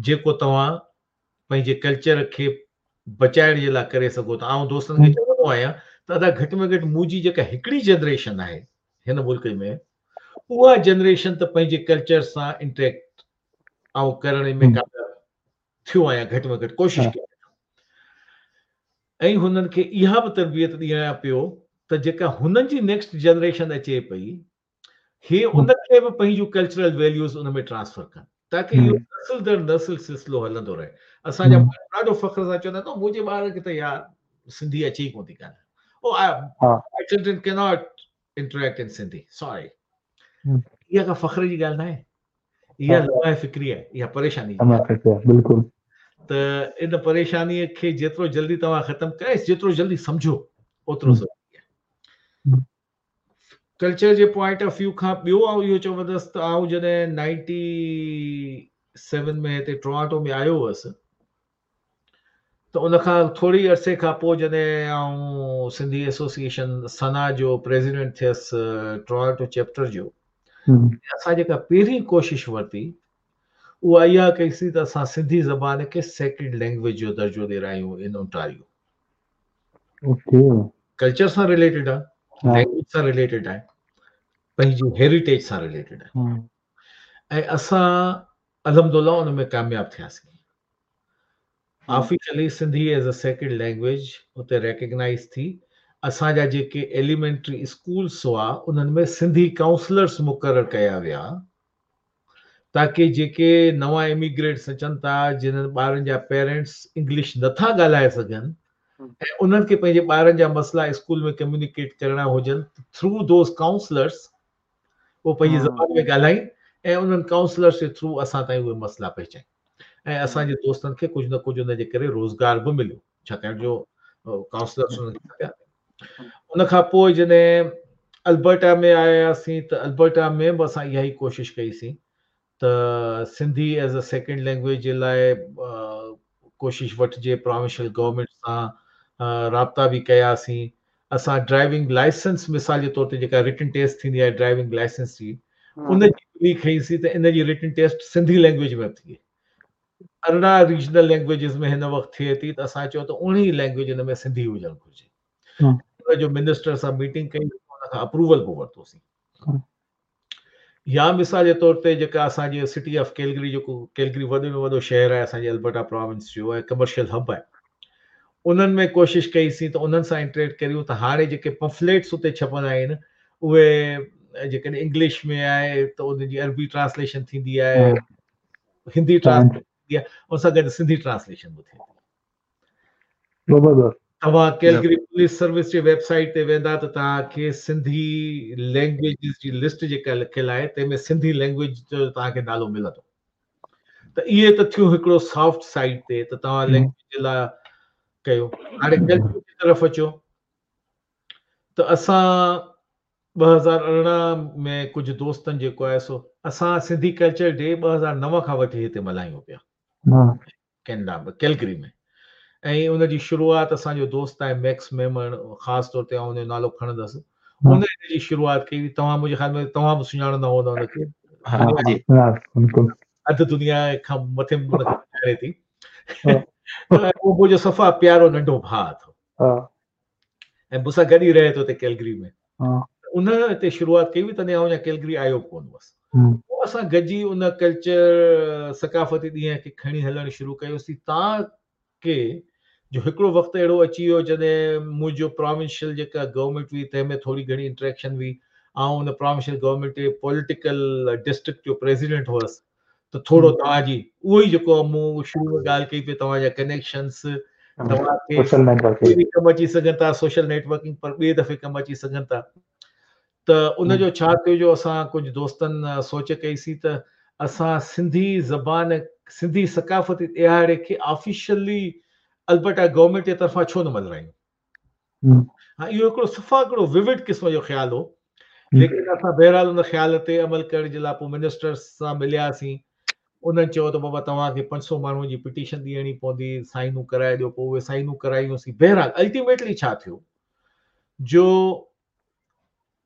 جيڪو توهان پنهنجي ڪلچر کي بچائڻ جي لاء ڪري سگهو ٿا. آئون دوستن کي چوندو آهيان ته ادا گهٽ ۾ گهٽ منهنجي جيڪا هڪڙي جنريشن آهي هن ملڪ ۾ اها جنريشن ته پنهنجي ڪلچر سان انٽريڪٽ آئون ڪرڻ ۾ ڪامياب ٿيو آهيان گهٽ ۾ گهٽ ڪوشش ڪيان ٿو ۽ هنن کي اها به تربيت ڏيان پيو ته جيڪا هنن جي نيڪسٽ جنريشن اچي پئي هي ان کي به پنهنجون ڪلچرل ويليوز ان ۾ ٽرانسفر ڪن تاڪه اهو نسل در نسل سلسلو هلندو رهي. اسان جا ماڻهو ڏاڍو فخر سان چوندا آهن ته منهنجي ٻار کي ته يار سنڌي اچي ئي ڪونه ٿي ڳالهائڻ. او my children cannot interact in Sindhi sorry. اها ڪا فخر جي ڳالهه ناهي. اها لمحه فڪري آهي، اها پريشاني جي ڳالهه آهي. بلڪل. ته ان پريشاني کي جيترو جلدي توهان ختم ڪري جيترو جلدي سمجهو اوترو ضروري آهي. ڪلچر جي پوائنٽ آف ويو کان ٻيو آئون اهو چوندس ته آئون جڏهن نائنٽي سيون ۾ هتي ٽورانٽو ۾ آيو هئس ته ان کان ٿوري عرصي کان پوء جڏهن آئون سنڌي ايسوسيئيشن سنا جو پريزيڊنٽ ٿيس ٽورانٽو چيپٽر جو اسان جيڪا پهرين ڪوشش ورتي اها اها ڪئي سين ته اسان سنڌي زبان کي سيڪنڊ لينگويج جو درجو ڏيرايون ان اونٽاريو اوڪي ڪلچر سان رليٽيڊ آ لينگويج سان رليٽيڊ آهي پنهنجي هيريٽيج سان رليٽيڊ آهي ۽ اسان الحمدلله ان ۾ ڪامياب ٿياسين officially Sindhi as a second language اتي ريڪگنائز ٿي اسان جا جيڪي ايليمينٽري اسڪولس هئا انهن ۾ سنڌي ڪائونسلرس مقرر ڪيا ويا تاڪه جيڪي نوان اميگريٽس اچن ٿا جنھن ٻارن جا پيرنٽس انگلش نٿا ڳالهائي سگهن ۽ انهن کي پنهنجي ٻارن جا مسئلا اسڪول ۾ ڪميونيڪيٽ ڪرڻا هجن ته ٿرو those counsellors اهو پنهنجي زبان ۾ ڳالهائين ۽ انهن ڪائونسلرس جي ٿرو اسان تائين اهي مسئلا پهچائين ۽ اسان جي دوستن کي ڪجهه نه ڪجهه ان جي ڪري روزگار به مليو ڇاڪاڻ جو ڪائونسلرس انهن کي کپيا. ان کان پوء جڏهن البرٽا ۾ آياسين ته البرٽا ۾ به اسان اها ئي ڪوشش ڪئي سين ته Sindhi as a second language جي لاء ڪوشش وٺجي پراونشل گورنمينٽ سان رابطا به ڪياسين اسان ڊرائيونگ لائسنس مثال جي طور تي جيڪا رٽن ٽيسٽ ٿيندي آهي ڊرائيونگ لائسنس جي ان جي پلي کنئيسين ته ان جي رٽن ٽيسٽ سنڌي لينگويج ۾ به ٿئي 18 ريجنل لينگويجز ۾ هن وقت ٿئي ٿي ته اسان چيو ته اوڻيهه لينگويج ان ۾ سنڌي هجڻ گهرجي ان جو منسٽر سان ميٽنگ ڪئي ان کان اپروول به ورتوسين يا مثال جي طور تي جيڪا اسان جي سٽي آف ڪيلگري جيڪو ڪيلگري وڏي ۾ وڏو شهر آهي اسان جي البرٽا پراونس جو ۽ ڪمرشل هب آهي انهن ۾ ڪوشش ڪئي سين ته انهن سان انٽريڪٽ ڪريون ته هاڻي جيڪي پمفليٽس اتي ڇپندا آهن اهي جيڪڏهن انگلش ۾ آهي ته ان جي عربي ٽرانسليشن ٿيندي آهي هندي ٽرانسليشن ٿيندي آهي ان سان گڏ سنڌي ٽرانسليشن به ٿئي ٿي. زبردست. توهان ڪيلگري پوليس سروس جي ويب سائيٽ تي ويندا ته توهان کي سنڌي لينگويجز جي لسٽ جيڪا لکيل آهي تنهن ۾ سنڌي لينگويج جو توهان کي نالو ملندو. ته اهي ته ٿيون هڪڙو سافٽ سائيڊ تي ته توهان لينگويج جي لاء ڪيو. هاڻي ڪلچر جي طرف اچو ته اسان 2018 ۾ ڪجهه دوستن جيڪو آهي سو اسان سنڌي ڪلچر ڊي 2009 کان وٺي هتي ملهايون پيا. ڪينيڊا ۾ ڪيلگري ۾ ۽ ان جي شروعات اسان جو دوست آهي ميڪس ميمڻ خاص طور تي آئون ان جو نالو کڻندس ان ان جي شروعات ڪئي هئي توهان منهنجي خيال ۾ توهان به سڃاڻندا هوندا ان کي ها جي بلڪل اڌ دنيا کان مٿي ان کي سڃاڻي ٿي اهو منهنجو صفا پيارو ننڍو ڀاء اٿو ها ۽ مون سان گڏ ئي رهي ٿو هتي ڪيلگري ۾ ها ان هتي شروعات ڪئي هئي تڏهن آئون اڃا ڪيلگري آيو به ڪونه هوس پوء اسان گڏجي ان ڪلچر ثقافتي ڏينهن کي کڻي هلڻ شروع ڪيوسين تان ڪي جو هڪڙو وقت اهڙو اچي ويو جڏهن منهنجو پراونشل جيڪا گورنمينٽ هئي تنهن ۾ ٿوري گهڻي انٽريڪشن هئي آئون ان پراونشل گورنمينٽ جي پوليٽيڪل ڊسٽرڪٽ جو پريزيڊنٽ هوس ته ٿورو توهان جي اهو ئي جيڪو مون شروع ۾ ڳالهه ڪئي پئي توهان جا ڪنيڪشنس توهان کي سوشل نيٽورڪنگ به ڪم اچي سگهن ٿا سوشل نيٽورڪنگ پر ٻئي دفعي ڪم اچي سگهن ٿا ته ان جو ڇا ٿيو جو اسان ڪجهه دوستن سوچ ڪئي سي ته اسان سنڌي زبان سنڌي ثقافتي ڏهاڙي کي آفيشلي البرٽا گورنمينٽ جي طرفان ڇو نه ملهايون ها اهو هڪڙو صفا هڪڙو ووڊ قسم جو خيال هو ليڪن اسان بهرحال ان خيال تي عمل ڪرڻ جي لاء پوء منسٽرس سان ملياسين انهن چيو ته بابا توهان کي 500 ماڻهن جي پٽيشن ڏيڻي پوندي سائنون ڪرائي ڏيو پوء اهي سائنون ڪرايونسين بهرحال الٽيميٽلي ڇا ٿيو جو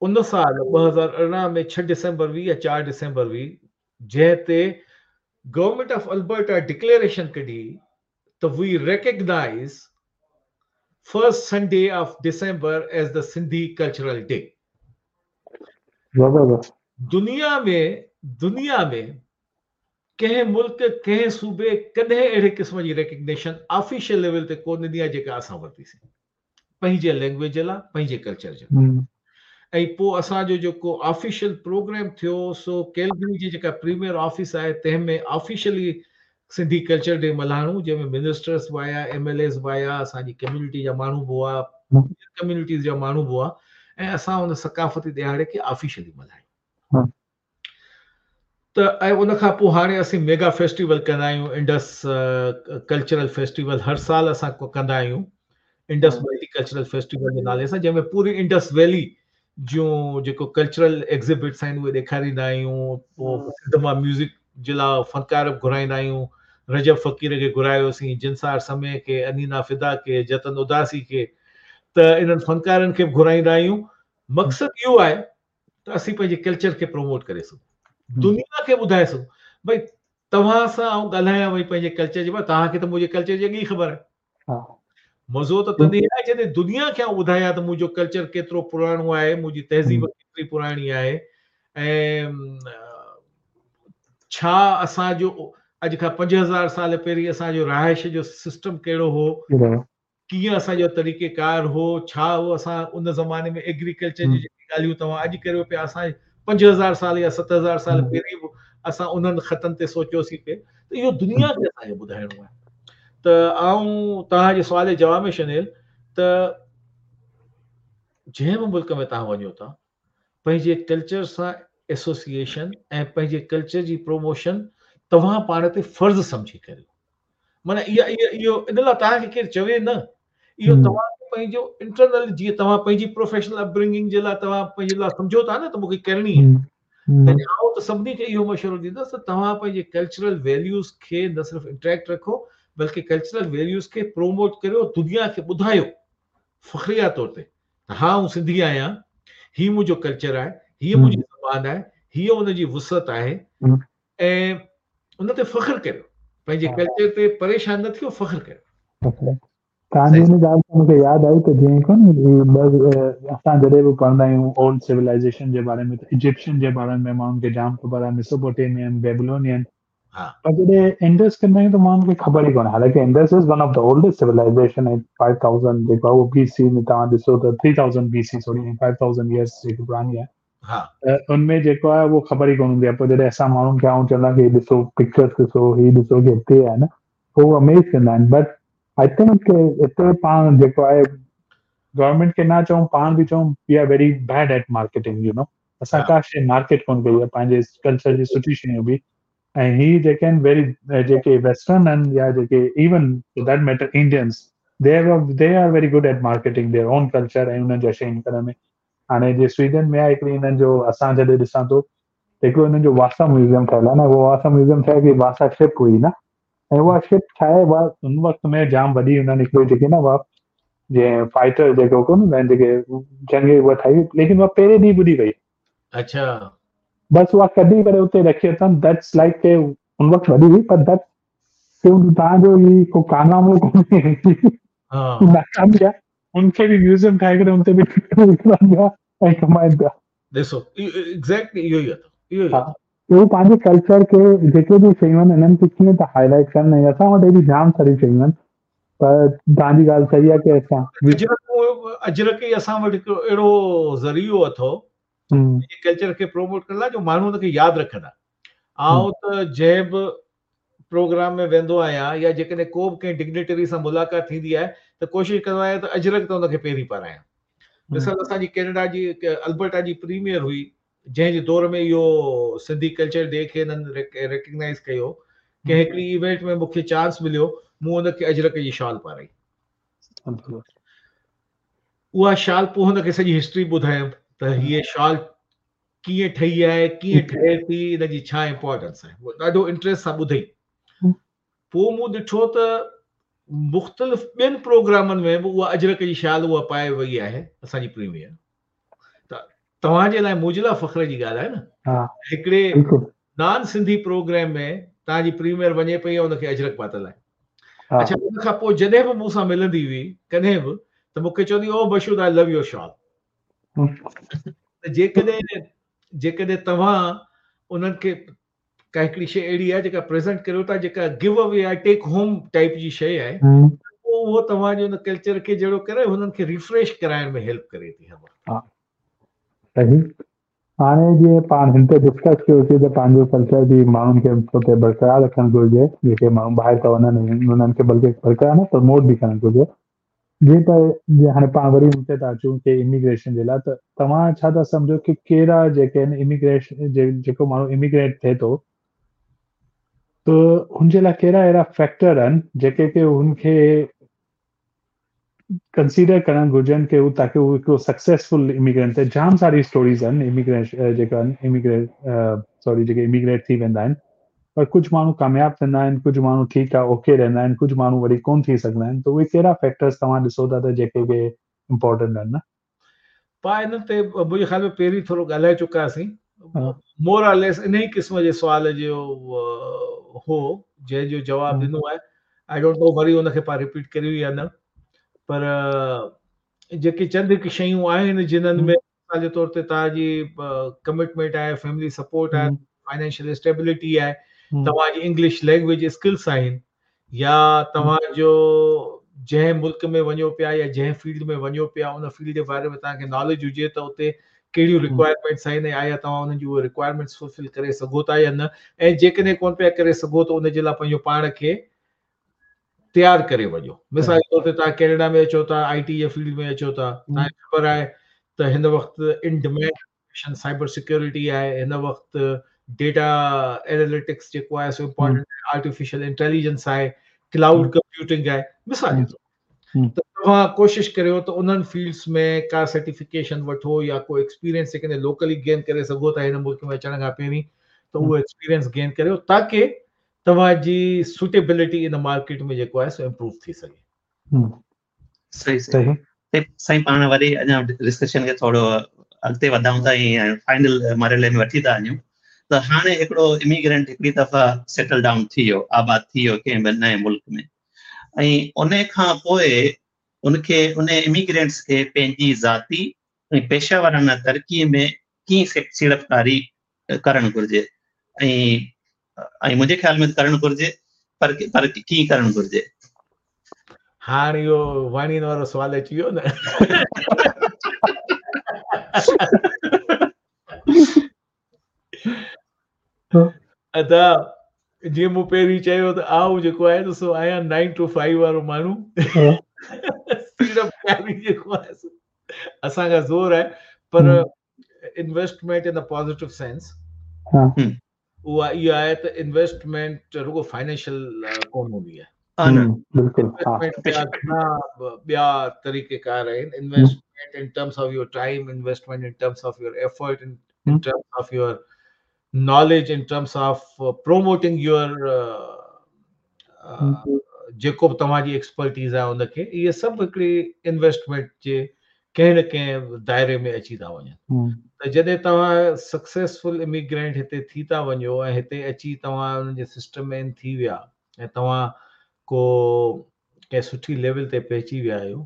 ان سال 2018 ۾ 6 ڊسمبر هئي يا 4 ڊسمبر هئي جنهن تي گورنمينٽ آف البرٽا ڊڪليريشن ڪڍي ته we recognise first Sunday of December as the Sindhi cultural day. زبردست. دنيا ۾ دنيا ۾ ڪنهن ملڪ ڪنهن صوبي ڪڏهن اهڙي قسم جي ريڪگنيشن آفيشل ليول تي ڪو نه ڏني آهي جيڪا اسان ورتيسين. پنهنجي لينگويج جي لاء پنهنجي ڪلچر جي لاء ۽ پوء اسان جو جيڪو آفيشل پروگرام ٿيو سو ڪيلگري جي جيڪا پريميئر آفيس آهي تنهن ۾ آفيشلي سنڌي ڪلچر ڊي ملهائڻو جنهن ۾ منسٽرس به آيا ايم ايل ايز به آيا اسان جي ڪميونٽي جا ماڻهو به هئا ڪميونٽيز جا ماڻهو به هئا ۽ اسان ان ثقافتي ڏهاڙي کي آفيشلي ملهايو. ته ۽ ان کان پوء هاڻي اسين ميگا فيسٽيول ڪندا آهيون انڊس ڪلچرل فيسٽيول هر سال اسان ڪندا آهيون انڊس ملٽي ڪلچرل فيسٽيول جي نالي سان جنهن ۾ پوري انڊس ويلي جون جيڪو ڪلچرل ايگزيبٽس آهن اهي ڏيکاريندا آهيون پوء سنڌ مان ميوزڪ جي لاء فنڪار به گهرائيندا آهيون رجب فقير کي گهرايوسين جنسار سمي کي انينا فدا کي جتن اداسي کي ته انهن فنڪارن کي به گهرائيندا آهيون مقصد اهو آهي ته اسين پنهنجي ڪلچر کي پروموٽ ڪري سگهون دنيا کي ٻڌائي سگهون ڀئي توهان سان آئون ڳالهايان وئي پنهنجي ڪلچر جي باري توهان کي ته منهنجي ڪلچر جي اڳي ئي خبر آهي مزو ته تڏهن آهي جڏهن دنيا کي آئون ٻڌايان ته منهنجو ڪلچر ڪيترو پراڻو آهي منهنجي تهذيب ڪيتري پراڻي آهي ۽ ڇا اسان جو اڄ کان 5000 سال پهرين اسان جو رهائش جو سسٽم ڪهڙو هو ڪيئن اسان جو طريقه ڪار هو، ڇا هو اسان ان زماني ۾ ايگريڪلچر جون جيڪي ڳالهيون توهان اڄ ڪريو پيا اسان 5000 سال يا 7000 سال پهرين به اسان انهن خطن تي سوچيوسين پئي ته اهو دنيا کي اسان کي ٻڌائڻو آهي ته آئون توهان جي سوال جي جواب ۾ شنيل ته جنهن به ملڪ ۾ توهان وڃو ٿا پنهنجي ڪلچر سان ايسوسيئيشن ۽ پنهنجي ڪلچر جي پروموشن توهان پاڻ تي فرض سمجهي ڪريو. معنيٰ اها اهو ان لاء توهان کي ڪير چوي نه، اهو توهان کي پنهنجو انٽرنل جيئن توهان پنهنجي پروفيشنل اپبرنگنگ جي لاء توهان پنهنجي لاء سمجهو ٿا نه ته مون کي ڪرڻي آهي، تڏهن آئون ته سڀني کي اهو مشورو ڏيندس ته توهان پنهنجي ڪلچرل ويليوز کي نه صرف انٽريڪٽ رکو بلڪه ڪلچرل ويليوز کي پروموٽ ڪريو، دنيا کي ٻڌايو فخريه طور تي ته ها آئون سنڌي آهيان، هي منهنجو ڪلچر آهي، هيء منهنجي زبان آهي، هيء ان جي وسعت آهي ۽ ان تي فخر ڪريو، پنهنجي ڪلچر تي پريشان نه ٿيو، فخر ڪريو. توهان جي ان ڳالهه تان مون کي ياد آئي ته جيئن ڪونه اسان جڏهن به پڙهندا آهيون اولڊ سولائيزيشن جي باري ۾ ته ايجپشن جي باري ۾ ماڻهن کي جام خبر آهي، ميسوپوٽيمين، بيبلونين، پر جڏهن انڊس ڪندا آهيون ته ماڻهن کي خبر ئي ڪونهي حالانڪه Indus is one of the oldest civilization ۽ 5000 جيڪو آهي اهو بي سي ۾ توهان ڏسو ته 3000 بي سي سوري 5000 يئرس جيڪي پراڻي آهي ها ته ان ۾ جيڪو آهي اهو خبر ئي ڪونه هوندي آهي پوء جڏهن اسان ماڻهن کي آئون چوندو آهيان ڪي ڏسو پڪچرس ڏسو هي ڏسو ڪي هتي آهي نه پوء هو اميز ٿيندا آهن بٽ I think هتي پاڻ جيڪو آهي گورنمينٽ کي نه چئون پاڻ به چئون we are very bad at marketing you know اسان ڪا شيء مارڪيٽ ڪونه ڪئي آهي پنهنجي ڪلچر جي سٺي شيون به ۽ هي جيڪي آهن ويري جيڪي ويسٽرن آهن يا جيڪي even for that matter Indians they they are very good at marketing their own culture ۽ انهن جا شين ڪرڻ ۾ هاڻي جي سويڊن ۾ آهي هڪڙي انهن جو اسان جڏهن ڏسان ٿو هڪڙو انهن جو واسا ميوزيم ٺهيل آهي نه اهو واسا ميوزيم ٺهيل هڪڙي واسا شپ هئي نه ۽ اها شپ ٺاهي اها ان وقت ۾ جام وڏي انهن هڪڙي جيڪي نه اها جيئن فائٽر جيڪو ڪونه هوندا آهن جيڪي جنگ اها ٺاهي ليڪن اها پهرين ڏينهن ٻڏي وئي. اڇا. بس اها ڪڍي ڪري اتي رکي اٿن that's like K ان وقت وڏي هئي پر that's توهان جو هي ڪو ڪارنامو ڪونهي ها ناڪامي آهي ان کي به ميوزيم ٺاهي ڪري ان تي به وڪڻن پيا ۽ ڪمائن پيا. ڏسو ايگزيڪٽلي اهو ئي اٿو اهو ئي اٿو. هو پنهنجي ڪلچر کي جيڪي به شيون آهن انهن کي ڪيئن ٿا هائي لائيٽ ڪن ۽ اسان وٽ اهڙيون جام ساريون شيون آهن پر توهان جي ڳالهه صحيح آهي ڪي اسان اجرڪ اجرڪ ئي اسان وٽ هڪڙو اهڙو ذريعو اٿو پنهنجي ڪلچر کي پروموٽ ڪرڻ لاء جو ماڻهو ان کي ياد رکندا. آئون ته جنهن به پروگرام ۾ ويندو آهيان يا جيڪڏهن ڪو به ڪنهن ڊگنيٽري سان ملاقات ٿيندي آهي ته ڪوشش ڪندو آهيان ته اجرڪ ته ان کي پهرين پارايان. مثال اسان جي ڪينيڊا جي البرٽا جي پريميئر هئي جنهن جي دور ۾ اهو سنڌي ڪلچر ڊي کي هنن ريڪگنائز ڪيو، ڪنهن هڪڙي ايونٽ ۾ مون کي چانس مليو، مون ان کي اجرڪ جي شال پارائي. اها شال پوء هن کي سڄي هسٽري ٻڌايم ته هيء شال ڪيئن ٺهي آهي، ڪيئن ٺهي ٿي، ان جي ڇا امپارٽنس آهي. هو ڏاڍو انٽريسٽ سان ٻڌئي. پوء مون ڏٺو ته مختلف ٻين پروگرامن ۾ به اها اجرڪ جي شال اها پائي وئي آهي اسان جي پريميئر. ته توهان جي لاء منهنجي لاء فخر جي ڳالهه آهي نه هڪڙي نان سنڌي پروگرام ۾ توهان جي پريميئر وڃي پئي ان کي اجرڪ پاتل آهي. اڇا ان کان پوء جڏهن به مون سان ملندي هئي ڪڏهن به ته مون کي چوندي او مشهود آء لو your شال. ته جيڪڏهن جيڪڏهن توهان انهن کي ڪا هڪڙي شيء اهڙي آهي جيڪا پريزنٽ ڪريو ٿا جيڪا گيو اوي آهي ٽيڪ هوم ٽائپ جي شيء آهي پوء اهو توهان جي ان ڪلچر کي جهڙو ڪري هنن کي ريفريش ڪرائڻ ۾ هيلپ ڪري ٿي هر وقت. ها صحيح هاڻي جيئن پاڻ هن تي ڊسڪس ڪيوسين ته پنهنجو ڪلچر به ماڻهن کي اتي برقرار رکڻ گهرجي جيڪي ماڻهو ٻاهر ٿا وڃن انهن کي بلڪه برقرار نه پروموٽ به ڪرڻ گهرجي جيئن ته جيئن هاڻي پاڻ وري هتي ٿا اچون ڪي اميگريشن جي لاء ته توهان ڇا ٿا سمجهو ڪي ڪهڙا جيڪي آهن اميگريشن جيڪو ماڻهو اميگريٽ ٿئي ٿو ته هن جي لاء ڪهڙا اهڙا فيڪٽر آهن جيڪي ڪي هن کي ڪنسيڊر ڪرڻ گهرجن ڪي هو تاڪي هو هڪڙو سڪسيسفل اميگرينٽ ٿئي. جام ساري اسٽوريز آهن اميگريشن جيڪا آهن اميگريٽ سوري جيڪي اميگريٽ ٿي ويندا آهن پر ڪجهه ماڻهو ڪامياب ٿيندا آهن ڪجهه ماڻهو ٺيڪ آهي اوڪي رهندا آهن ڪجهه ماڻهو وري ڪون ٿي سگهندا آهن ته اهي ڪهڙا فيڪٽرز توهان ڏسو ٿا ته جيڪي ڪي امپورٽنٽ آهن نه. پا انهن تي منهنجي خيال ۾ پهرين ٿورو ڳالهائي چڪا هئاسين مور آر ليس انهي قسم جي سوال جو هو جنهن جو جواب ڏنو آهي I don't know وري ان کي پاڻ رپيٽ ڪريون يا نه پر جيڪي چند هڪ شيون آهن جنهن ۾ مثال جي طور تي توهان جي ڪمٽمينٽ آهي، فيملي سپورٽ آهي، فائنينشل اسٽيبلٽي آهي، توهان جي انگلش لينگويج اسڪلس آهن يا توهان جو جنهن ملڪ ۾ وڃو پيا يا جنهن فيلڊ ۾ وڃو پيا ان فيلڊ جي باري ۾ توهان کي ناليج هجي ته اتي ڪهڙيون رڪوائرمينٽس آهن ۽ آيا توهان انهن جون اهي رڪوائرمينٽس فلفل ڪري سگهو ٿا يا نه ۽ جيڪڏهن ڪونه پيا ڪري سگهو ته ان جي لاء پنهنجو پاڻ کي تيار ڪري وڃو. مثال جي طور تي توهان ڪينيڊا ۾ اچو ٿا، آء ٽي جي فيلڊ ۾ اچو ٿا، توهان کي خبر آهي ته هن وقت ان ڊمانڊ سرٽيفڪيشن سائبر سيڪيورٽي آهي هن وقت ڊيٽا ايناليٽڪس جيڪو آهي سو امپورٽنٽ آهي آرٽيفيشل انٽيليجنس آهي ڪلائوڊ ڪمپيوٽنگ آهي مثال جي طور ته توهان ڪوشش ڪريو ته انهن فيلڊس ۾ ڪا سرٽيفڪيشن وٺو يا ڪو ايڪسپيرينس جيڪڏهن لوڪلي گين ڪري سگهو ٿا هن ملڪ ۾ اچڻ کان پهرين ته اهو ايڪسپيرينس گين ڪريو تاڪه توهان جي سوٽيبلٽي ان مارڪيٽ ۾ جيڪو آهي سو امپروو ٿي سگهي. صحيح صحيح سائين پاڻ وري اڃا ڊسڪشن کي ٿورو اڳتي وڌائون ٿا ۽ فائنل مرحلي ۾ وٺي ٿا وڃون ته هاڻي هڪڙو اميگرنٽ هڪڙي دفعا سيٽل ڊائون ٿي ويو آباد ٿي ويو ڪنهن به نئين ملڪ ۾ ۽ ان کان پوء ان کي ان اميگرينٽس کي پنهنجي ذاتي ۽ پيشه ورانه ترقي ۾ ڪيئن سيڙپڪاري ڪرڻ گهرجي ۽ ۽ منهنجي خيال ۾ ڪرڻ گهرجي پر پر ڪيئن ڪرڻ گهرجي؟ هاڻ اهو واڻين وارو سوال اچي ويو نه. ادا جيئن مون پهرين چيو ته آئون جيڪو آهي سو آهيان 9 ٽو 5 وارو ماڻهو سيڙپڪاري جيڪو آهي سو اسان کان زور آهي پر انويسٽمينٽ ان ا پازيٽو سينس اها اها آهي ته انويسٽمينٽ رڳو فائنينشل ڪونه هوندي آهي ٻيا طريقه ڪار آهن investment in terms of your time investment in terms of your effort in terms of your knowledge in terms of promoting your جيڪو به توهان جي ايڪسپرٽيز آهي ان کي اهي سڀ هڪڙي انويسٽمينٽ جي ڪنهن نه ڪنهن دائري ۾ اچي ٿا وڃن ته جڏهن توهان سڪسيسفل اميگرينٽ هتي ٿي ٿا وڃو ۽ هتي اچي توهان انهن جي سسٽم ۾ ان ٿي ويا ۽ توهان ڪو ڪنهن سٺي ليول تي پهچي ويا آهيو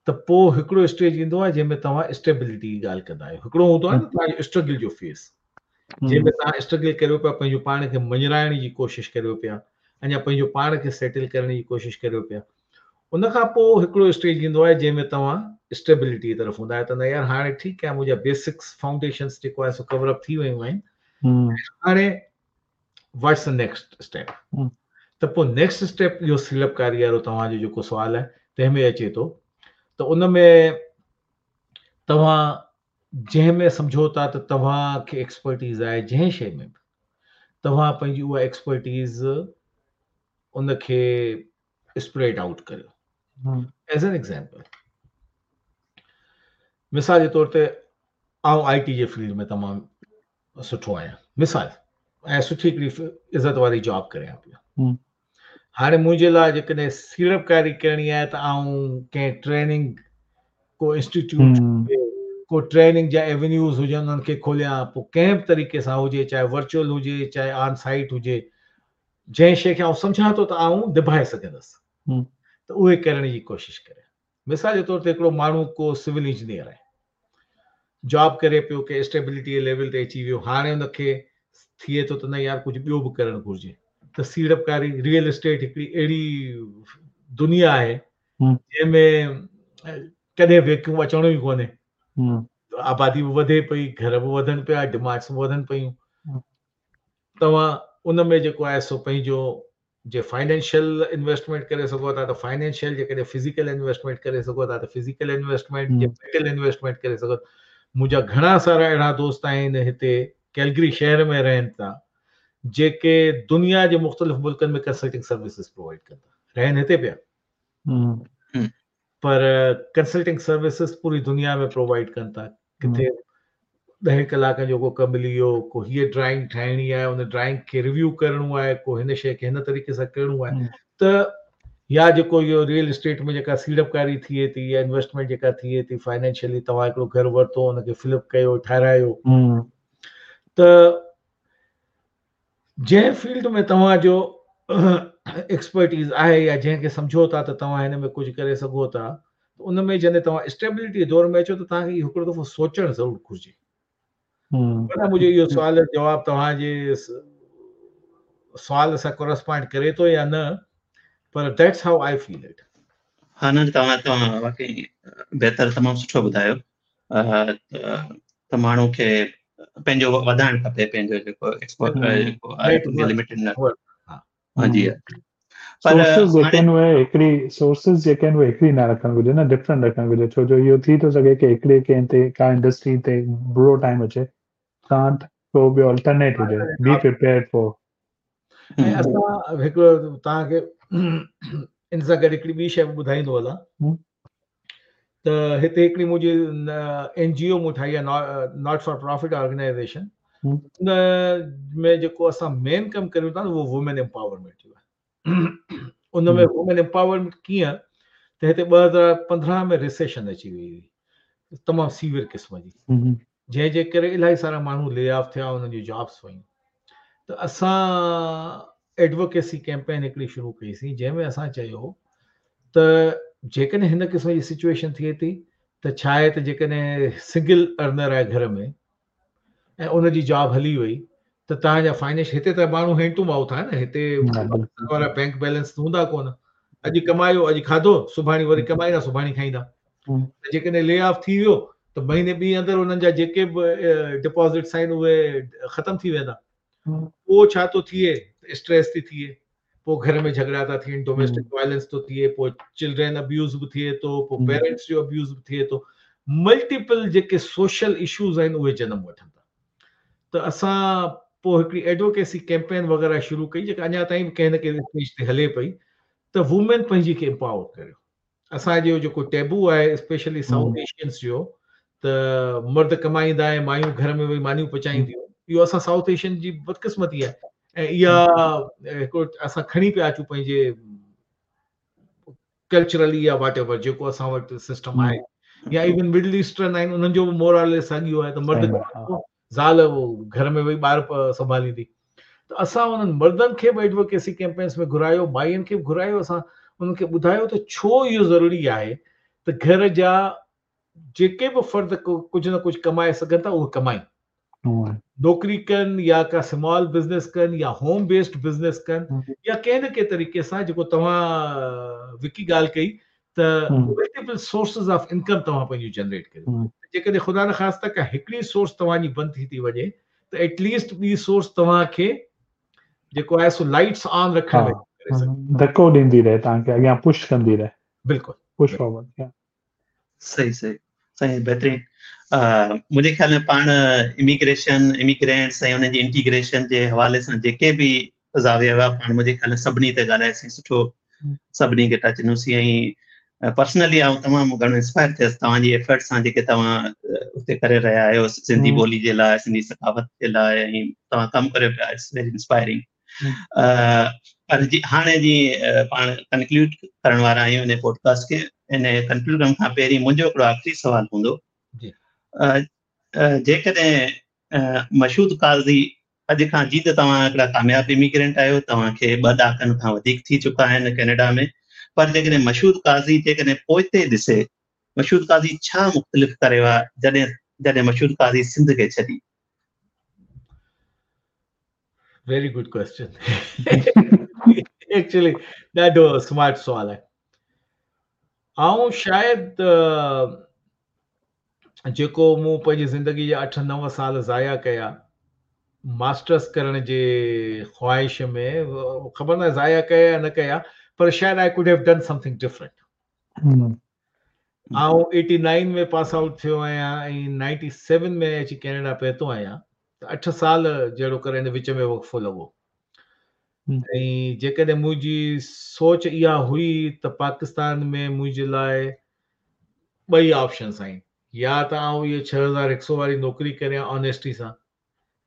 ته پوء هڪڙو اسٽيج ايندو آهي جنهن ۾ توهان اسٽيبلٽي جي ڳالهه ڪندا آهيو هڪڙو هوندو آهي نه توهان جو اسٽرگل جو فيز جنهن ۾ توهان اسٽرگل ڪريو پيا پنهنجو پاڻ کي مڃرائڻ جي ڪوشش ڪريو پيا اڃا پنهنجو پاڻ کي سيٽل ڪرڻ جي ڪوشش ڪريو پيا ان کان پوء هڪڙو اسٽيج ايندو آهي جنهن ۾ توهان اسٽيبلٽي جي طرف هوندا آهيو ته نه يار هاڻي ٺيڪ آهي منهنجا بيسڪس فائونڊيشنس جيڪو آهي سو ڪور اپ ٿي ويون آهن هاڻي واٽس the next step ته پوء نيڪسٽ اسٽيپ اهو سيڙپڪاري وارو توهان جو جيڪو سوال آهي تنهن ۾ اچي ٿو ته ان ۾ توهان جنهن ۾ سمجهو ٿا ته توهان کي ايڪسپرٽيز آهي جنهن شيء ۾ به توهان پنهنجي اها ايڪسپرٽيز ان کي اسپريڊ آئوٽ ڪريو ايز اين ايگزامپل مثال جي طور تي آئون آئي ٽي جي فيلڊ ۾ تمام سٺو آهيان مثال ۽ سٺي هڪڙي عزت واري جاب ڪريان پيو هاڻي منهنجي لاء جيڪڏهن سيڙپڪاري ڪرڻي آهي ته آئون ڪنهن ٽريننگ ڪو انسٽيٽيوٽ ڪو ٽريننگ جا ايونيوز هجن انهن کي کوليان پوء ڪنهن به طريقي سان هجي چاهي ورچوئل هجي چاهي آن سائيٽ هجي جنهن شيء کي آئون سمجهان ٿو ته آئون نڀائي سگهندس ته اهي ڪرڻ جي ڪوشش ڪريان مثال جي طور تي هڪڙو ماڻهو ڪو سول انجنيئر آهي جاب ڪري پيو ڪنهن اسٽيبلٽي جي ليول تي اچي ويو هاڻي ان کي ٿئي ٿو ته نه يار ڪجهه ٻيو به ڪرڻ گهرجي ته سيڙپڪاري ريئل اسٽيٽ هڪڙي اهڙي دنيا آهي جنهن ۾ ڪڏهن ويڪيوم اچڻو ئي ڪونهي آبادي به وڌي پئي گهر به وڌن پيا ڊمانڊس به وڌن پيون توهان ان ۾ جيڪو آهي سو پنهنجو جي فائنينشل انويسٽمينٽ ڪري سگهو ٿا ته فائنينشل جيڪڏهن فزيڪل انويسٽمينٽ ڪري سگهو ٿا ته فزيڪل انويسٽمينٽ جي ميٽل انويسٽمينٽ ڪري سگهو منهنجا گهڻا سارا اهڙا دوست آهن هتي ڪيلگري شهر ۾ رهن ٿا جيڪي دنيا جي مختلف ملڪن ۾ ڪنسلٽنگ سروسز پرووائڊ ڪن ٿا رهن هتي پيا پر ڪنسلٽنگ سروسز پوري دنيا ۾ پرووائڊ ڪن ٿا ڪٿي ڏهه ڪلاڪن جو ڪو ڪم ملي ويو ڪو هيء ڊرائنگ ٺاهڻي آهي ان ڊرائنگ کي ريويو ڪرڻو آهي ڪو هن شيء کي هن طريقي سان ڪرڻو آهي ته يا جيڪو اهو ريئل اسٽيٽ ۾ جيڪا سيڙپڪاري ٿئي ٿي يا انويسٽمينٽ جيڪا ٿئي ٿي فائنينشلي توهان هڪڙو گهر ورتو ان کي فلپ ڪيو ٺارايو ته جنهن فيلڊ ۾ توهان جو ايڪسپرٽيز آهي يا جنهن کي سمجهو ٿا ته توهان هن ۾ ڪجهه ڪري سگهو ٿا ته ان ۾ جڏهن توهان اسٽيبلٽي جي دور ۾ اچو ته توهان کي اهو هڪڙو دفعو سوچڻ ضرور گهرجي. معنيٰ منهنجو اهو سوال جو جواب توهان جي سوال سان ڪورسپانڊ ڪري ٿو يا نه پر that's how I feel it. ها نه توهان توهان واقعي بهتر تمام سٺو ٻڌايو ته ماڻهو کي پنهنجو وڌائڻ کپي پنهنجو جيڪو ايڪسپورٽ جيڪو آهي لميٽيڊ نه ها جي پر سورسز جيڪي آهن اهي هڪڙي سورسز جيڪي آهن اهي هڪڙي نه رکڻ گهرجي نه ڊفرنٽ رکڻ گهرجي ڇو جو اهو ٿي ٿو سگهي ڪي هڪڙي ڪنهن تي ڪا انڊسٽري تي برو ٽائيم اچي توهان وٽ ڪو ٻيو الٽرنيٽ هجي بي پريپيئرڊ فار. ۽ اسان هڪڙو توهان کي ان سان گڏ هڪڙي ٻي شيء به ٻڌائيندو هلان ته هتي هڪڙي منهنجي اين جي او مون ٺاهي آهي not for profit organisation ان ۾ جيڪو اسان مين ڪم ڪريون ٿا اهو وومين امپاورمينٽ جو آهي ان ۾ وومين امپاورمينٽ ڪيئن ته هتي 2015 ۾ ريسيشن اچي وئي هئي تمام سيويئر قسم جي جنهن جي ڪري الاهي سارا ماڻهو لي آف ٿيا انهن جون جابس ويون ته اسان ايڊووڪيسي ڪيمپين هڪڙي شروع ڪئي سين جنهن ۾ اسان چيو ته جيڪڏهن هن قسم جي سچويشن ٿئي ٿي ته ڇا آهي ته جيڪڏهن سنگل ارنر آهي گهر ۾ ۽ ان جي جاب هلي وئي ته توهان جا فائنينش هتي ته ماڻهو هينڊ ٽو مائوٿ آهي نه هتي وارا بينڪ بيلنس هوندا ڪونه اڄ ڪمايو اڄ کاڌو سڀاڻي وري ڪمائيندا سڀاڻي کائيندا ته جيڪڏهن لي آف ٿي ويو ته مهيني ٻي اندر انهن جا جيڪي به ڊپازٽس آهن اهي ختم ٿي ويندا پوء ڇا ٿو ٿئي اسٽريس ٿي ٿئي پوء گهر ۾ جهڳڙا ٿا ٿين ڊوميسٽڪ وائلنس ٿو ٿئي پوء چلڊرين ابيوز به ٿئي ٿو پوء پيرنٽس جو ابيوز به ٿئي ٿو ملٽيپل جيڪي سوشل اشوز آهن اهي جنم وٺن ٿا ته اسان پوء هڪڙي ايڊووڪيسي ڪيمپين وغيره شروع ڪئي جيڪا اڃا تائين به ڪنهن نه ڪنهن اسٽيج تي هلي پئي ته وومين پنهنجي کي امپاور ڪريو اسان جو جيڪو ٽيبو آهي اسپيشلي سائوٿ ايشينس جو ته مرد ڪمائيندا ۽ مايون گهر ۾ ويهي مانيون پچائينديون اهو اسان سائوٿ ايشين جي بدقسمتي آهي ۽ اها هڪ اسان کڻي پيا اچون پنهنجي ڪلچرلي يا واٽ ايور جيڪو اسان وٽ سسٽم آهي يا ايون مڊل ايسٽرن آهن انهن جو به مورال ساڳيو آهي ته مرد زال گهر ۾ ويهي ٻار سنڀاليندي ته اسان انهن مردن کي به ايڊووڪيسي ڪيمپينس ۾ گهرايو مائين کي به گهرايو اسان انهن کي ٻڌايو ته ڇو اهو ضروري آهي ته گهر جا جيڪي به فرد ڪجهه نه ڪجهه ڪمائي سگهن ٿا اهي ڪمائين نوڪري ڪن يا ڪا سمال بزنس ڪن يا هوم بيسڊ بزنس ڪن يا ڪنهن نه ڪنهن طريقي سان جيڪو توهان وڪي ڳالهه ڪئي ته ملٽيپل سورسز آف انڪم توهان پنهنجون جنريٽ ڪريو جيڪڏهن خدا نخواسته ڪا هڪڙي سورس توهان جي بند ٿي ٿي وڃي ته ايٽ ليسٽ ٻي سورس توهان کي جيڪو آهي سو لائٽس آن رکڻ ۾ ڪري سگهي ڌڪو ڏيندي رهي توهان کي اڳيان پش ڪندي رهي بلڪل پش فارورڊ صحيح صحيح صحيح بهترين منهنجي خيال ۾ پاڻ اميگريشن اميگرينٽس ۽ انهن جي انٽيگريشن جي حوالي سان جيڪي به زاويا هئا پاڻ منهنجي خيال ۾ سڀني تي ڳالهاياسين سٺو سڀني کي ٽچ ڏنوسين ۽ پرسنلي آئون تمام گهڻو انسپائر ٿيس توهان جي ايفرٽ سان جيڪي توهان اتي ڪري رهيا آهيو سنڌي ٻولي جي لاء سنڌي ثقافت جي لاء ۽ توهان ڪم ڪريو پيا it's very inspiring پر جي هاڻي جي پاڻ ڪنڪلوڊ ڪرڻ وارا آهيون ان پوڊڪاسٽ کي ان ڪنڪلوڊ ڪرڻ کان پهرين منهنجو هڪڙو آخري سوال هوندو جي جيڪڏهن مشهود قاضي اڄ کان جي ته توهان هڪڙا ڪامياب اميگرينٽ آهيو توهان کي ٻه ڏهاڪن کان وڌيڪ ٿي چڪا آهن ڪينيڊا ۾ پر جيڪڏهن مشهود قاضي جيڪڏهن پوئتي ڏسي مشهود قاضي ڇا مختلف ڪريو آهي جڏهن جڏهن مشهود قاضي سنڌ کي ڇڏي ويري گڊ ڪويسچن ايڪچولي ڏاڍو سمارٽ سوال آهي آئون شايد جيڪو مون پنهنجي زندگي جا 8 9 سال ضايع ڪيا ماسٽرس ڪرڻ جي خواهش ۾ خبر نه ضايع ڪيا يا نه ڪيا پر شايد I could have done something different آئون 89 ۾ پاس آئوٽ ٿيو آهيان ۽ 97 ۾ اچي ڪينيڊا پهتو آهيان ته 8 سال جهڙو ڪر ان وچ ۾ وقفو لڳو ۽ جيڪڏهن منهنجي سوچ اها هئي ته پاڪستان ۾ منهنجي لاء ٻئي آپشنس آهن يا ته آئون اهي 6100 واري نوڪري ڪريان آنيسٽي سان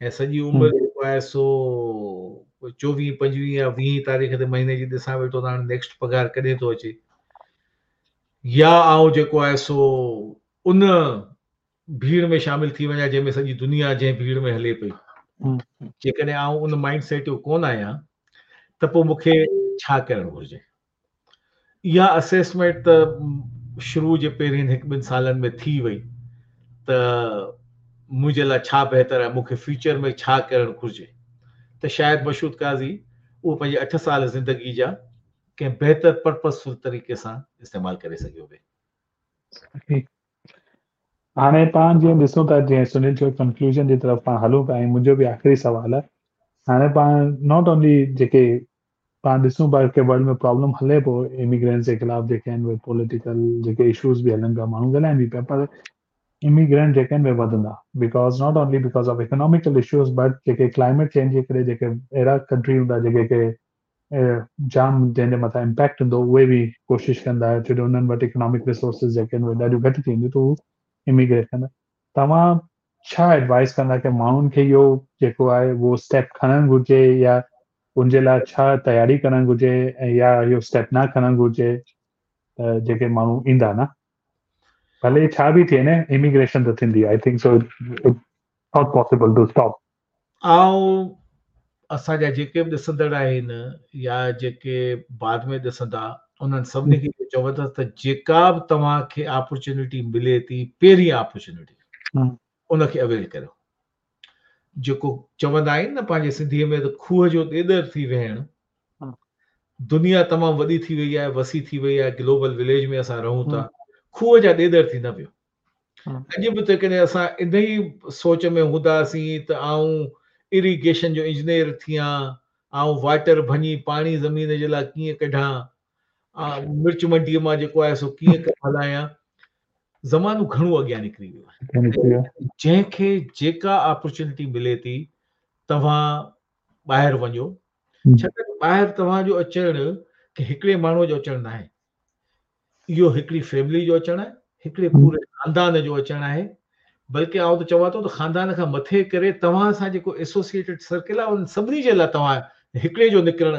۽ سڄي عمر جيڪو آهي سو چوويهه پنجويهه يا ويهين تاريخ تي مهيني جي ڏسان ويٺو ته هاڻي نيڪسٽ پگهار ڪڏهن ٿو اچي يا آئون جيڪو آهي سو ان ڀيڙ ۾ شامل ٿي وڃان جنهن ۾ سڄي دنيا جنهن ڀيڙ ۾ هلي پئي جيڪڏهن آئون ان مائنڊ سيٽ جو ڪونه آهيان ته پوء مونکي ڇا ڪرڻ گهرجي اها اسيسمينٽ ته شروع جي پهرين هڪ ٻن سالن ۾ ٿي وئي ته منهنجي لاء ڇا بهتر آهي، مون کي فيوچر ۾ ڇا ڪرڻ گهرجي ته شايد مشهود قاضي اهو پنهنجي اٺ سال زندگي جا ڪنهن بهتر پرپزفل طريقي سان استعمال ڪري سگهيو پئي. هاڻي پاڻ جيئن ڏسون ٿا جيئن سنيل چيو ڪنڪلوزن جي طرف پاڻ هلون پيا ۽ منهنجو به آخري سوال آهي هاڻي پاڻ not only جيڪي پاڻ ڏسون پيا ڪي ورلڊ ۾ پرابلم هلي پيو اميگرينٽس جي خلاف جيڪي آهن اهي پوليٽيڪل جيڪي اشوز به هلن پيا ماڻهو ڳالهائن به پيا پر اميگرينٽ جيڪي آهن اهي وڌندا because not only because of economical issues but جيڪي ڪلائميٽ چينج جي ڪري جيڪي اهڙا ڪنٽري هوندا جيڪي ڪي جام جنهن جي مٿان امپيڪٽ هوندو اهي به ڪوشش ڪندا ڇو جو انهن وٽ اڪنامڪ ريسورسز جيڪي آهن اهي ڏاڍيون گهٽ ٿي وينديون ته هو اميگريٽ ڪندا. توهان ڇا ايڊوائز ڪندا ڪي ماڻهن کي اهو جيڪو آهي اهو اسٽيپ کڻڻ گهرجي يا ان جي لاء ڇا تياري ڪرڻ گهرجي يا اهو اسٽيپ نه کڻڻ گهرجي ته جيڪي ماڻهو ايندا نه ڀلي ڇا به ٿئي نه اميگريشن ته ٿيندي I think so it's not possible to stop. آئون اسان جا جيڪي به ڏسندڙ آهن يا جيڪي بعد ۾ ڏسندا انهن سڀني کي اهو چوندس ته جيڪا به توهان کي اپرچونٽي ملي ٿي پهرين اپرچونٽي ان کي اويل ڪريو. جيڪو چوندا آهن نه پنهنجي سنڌيء ۾ ته کوهه جو ڏيڏر ٿي ويهڻ. دنيا تمام وڏي ٿي وئي آهي، وسيع ٿي وئي آهي، گلوبل وليج ۾ اسان رهون ٿا، کوهه جا ڏيڏر ٿي نه ويهو. اڄ به جيڪڏهن اسان انهي سوچ ۾ هونداسين ته آئون اريگيشن جو انجنيئر ٿيان، آئون واٽر ڀڃي پاڻي زمين جي لاء ڪيئن ڪڍان، مرچ منڊيء مان جيڪو آهي سو ڪيئن ڪم هلايان، زمانو گهڻو اڳيان نڪري ويو آهي. جنهن کي جيڪا اپرچونٽي ملي ٿي توهان ٻاهر وڃو، ڇاڪاڻ ته ٻاهر توهان جو اچڻ ڪنهن هڪڙي ماڻهوء جو اچڻ ناهي، اهو هڪڙي فيملي جو اچڻ آهي، هڪڙي پوري خاندان جو اچڻ آهي، بلڪه آئون ته چوان ٿو ته خاندان کان مٿي ڪري توهان سان جيڪو ايسوسيئيٽيڊ سرڪل آهي انهن سڀني جي لاء توهان هڪڙي جو نڪرڻ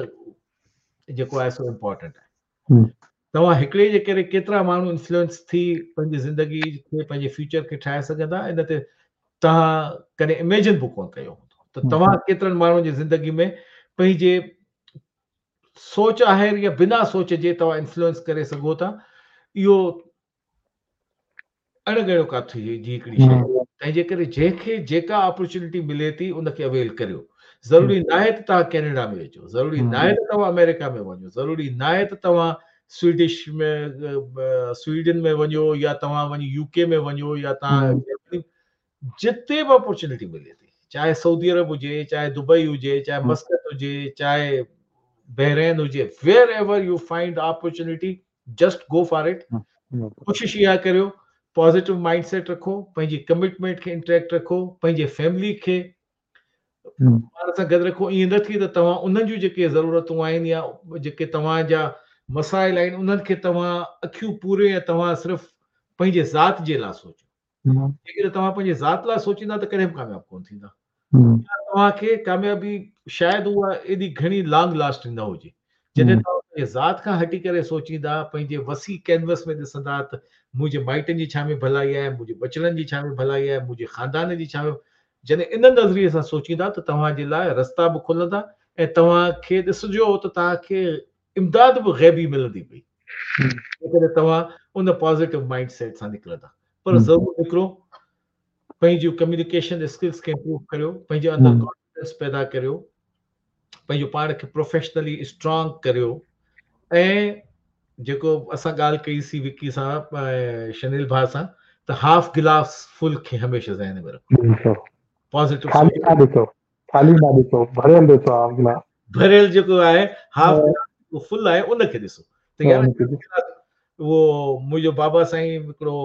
جيڪو آهي سو امپارٽنٽ آهي. توهان هڪڙي جي ڪري ڪيترا ماڻهو انفلوئنس ٿي پنهنجي زندگي کي پنهنجي فيوچر کي ٺاهي سگهندا ان تي توهان ڪڏهن اميجن به ڪونه ڪيو هوندو ته توهان ڪيترن ماڻهن جي زندگي ۾ پنهنجي سوچ آهر يا بنا سوچ جي توهان انفلوئنس ڪري سگهو ٿا اهو اڻ ڳڻيو ڪاٿ جي هڪڙي شيء آهي. تنهن جي ڪري جنهن کي جيڪا اپرچونٽي ملي ٿي ان کي اويل ڪريو. ضروري ناهي ته توهان ڪينيڊا ۾ اچو، ضروري ناهي ته توهان آمريڪا ۾ وڃو، ضروري ناهي ته توهان سوئيڊش ۾ سوئيڊن ۾ وڃو يا توهان وڃي يو ڪي ۾ وڃو يا توهان جرمني، جتي به اپرچونٽي ملي ٿي، چاهي سعودي عرب هجي، چاهي دبئي هجي، چاهي مسقط هجي، چاهي بحرين هجي، wherever you find opportunity just go for it. ڪوشش اها ڪريو پازيٽو مائنڊ سيٽ رکو، پنهنجي ڪمٽمينٽ کي انٽيڪٽ رکو، پنهنجي فيملي کي پاڻ سان گڏ رکو. ائين نه ٿئي ته توهان انهن جون جيڪي ضرورتون آهن يا جيڪي توهان جا مسائل آهن انهن کي توهان اکيون پوري ۽ توهان صرف پنهنجي ذات جي لاء سوچو. جيڪڏهن توهان پنهنجي ذات لاء سوچيندا ته ڪڏهن به ڪامياب ڪونه ٿيندا. توهان کي ڪاميابي شايد اها ايڏي گهڻي لانگ لاسٽنگ نه هجي. جڏهن توهان پنهنجي ذات کان هٽي ڪري سوچيندا، پنهنجي وسيع ڪينوس ۾ ڏسندا ته منهنجي مائٽن جي ڇا ۾ ڀلائي آهي، منهنجي ٻچڙن جي ڇا ۾ ڀلائي آهي، منهنجي خاندان جي ڇا ۾، جڏهن ان نظريي سان سوچيندا ته توهان جي لاء رستا به کلندا ۽ توهان کي ڏسجو ته توهان کي امداد به غيبي ملندي پئي جيڪڏهن توهان ان پازيٽو مائنڊ سيٽ سان نڪرندا. پر ضرور نڪرو، پنهنجون ڪميونيڪيشن اسڪلز کي امپروو ڪريو، پنهنجي اندر ڪانفيڊنس پيدا ڪريو، پنهنجو پاڻ کي پروفيشنلي اسٽرانگ ڪريو. ۽ جيڪو اسان ڳالهه ڪئي سي وڪي سان ۽ شنيل ڀاء سان ته هاف گلاس فل کي هميشه ذهن ۾ رکو، پازيٽو خالي نه ڏسو، خالي نه ڏسو، ڀريل ڏسو هاف گلاس. ڀريل جيڪو آهي هاف گلاس جيڪو فل آهي ان کي ڏسو ته يار اهو منهنجو بابا سائين هڪڙو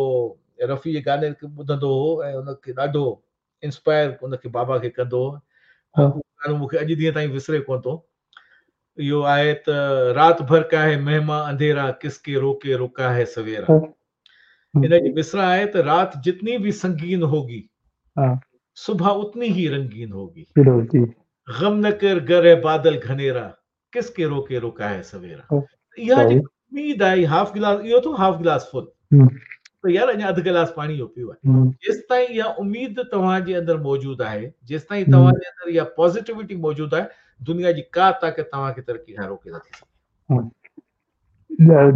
رفيع جي گاني کي ٻڌندو هو ۽ ان کي ڏاڍو انسپائر ان کي بابا کي ڪندو هو. اهو گانو مون کي اڄ ڏينهن تائين وسري ڪونه ٿو. اهو آهي ته رات ڀر ڪا هي مهما انڌيرا ڪس ڪي روڪي روڪا هي سويرا. ان جي مصرع آهي ته رات جتني به سنگين هوگي صبح اتني هي رنگين هوگي غم نه ڪر گر هي بادل گهنيرا ڪس ڪي روڪي روڪا هي سويرا. اها جيڪا اميد آهي هاف گلاس اهو ٿو هاف گلاس فل ته يار اڃا اڌ گلاس پاڻي جو پيو آهي. جيستائين اها اميد توهان جي اندر موجود آهي، جيستائين توهان جي اندر اها پازيٽيوٽي موجود آهي، دنيا جي ڪا طاقت توهان کي ترقي کان روڪي نٿي سگهي.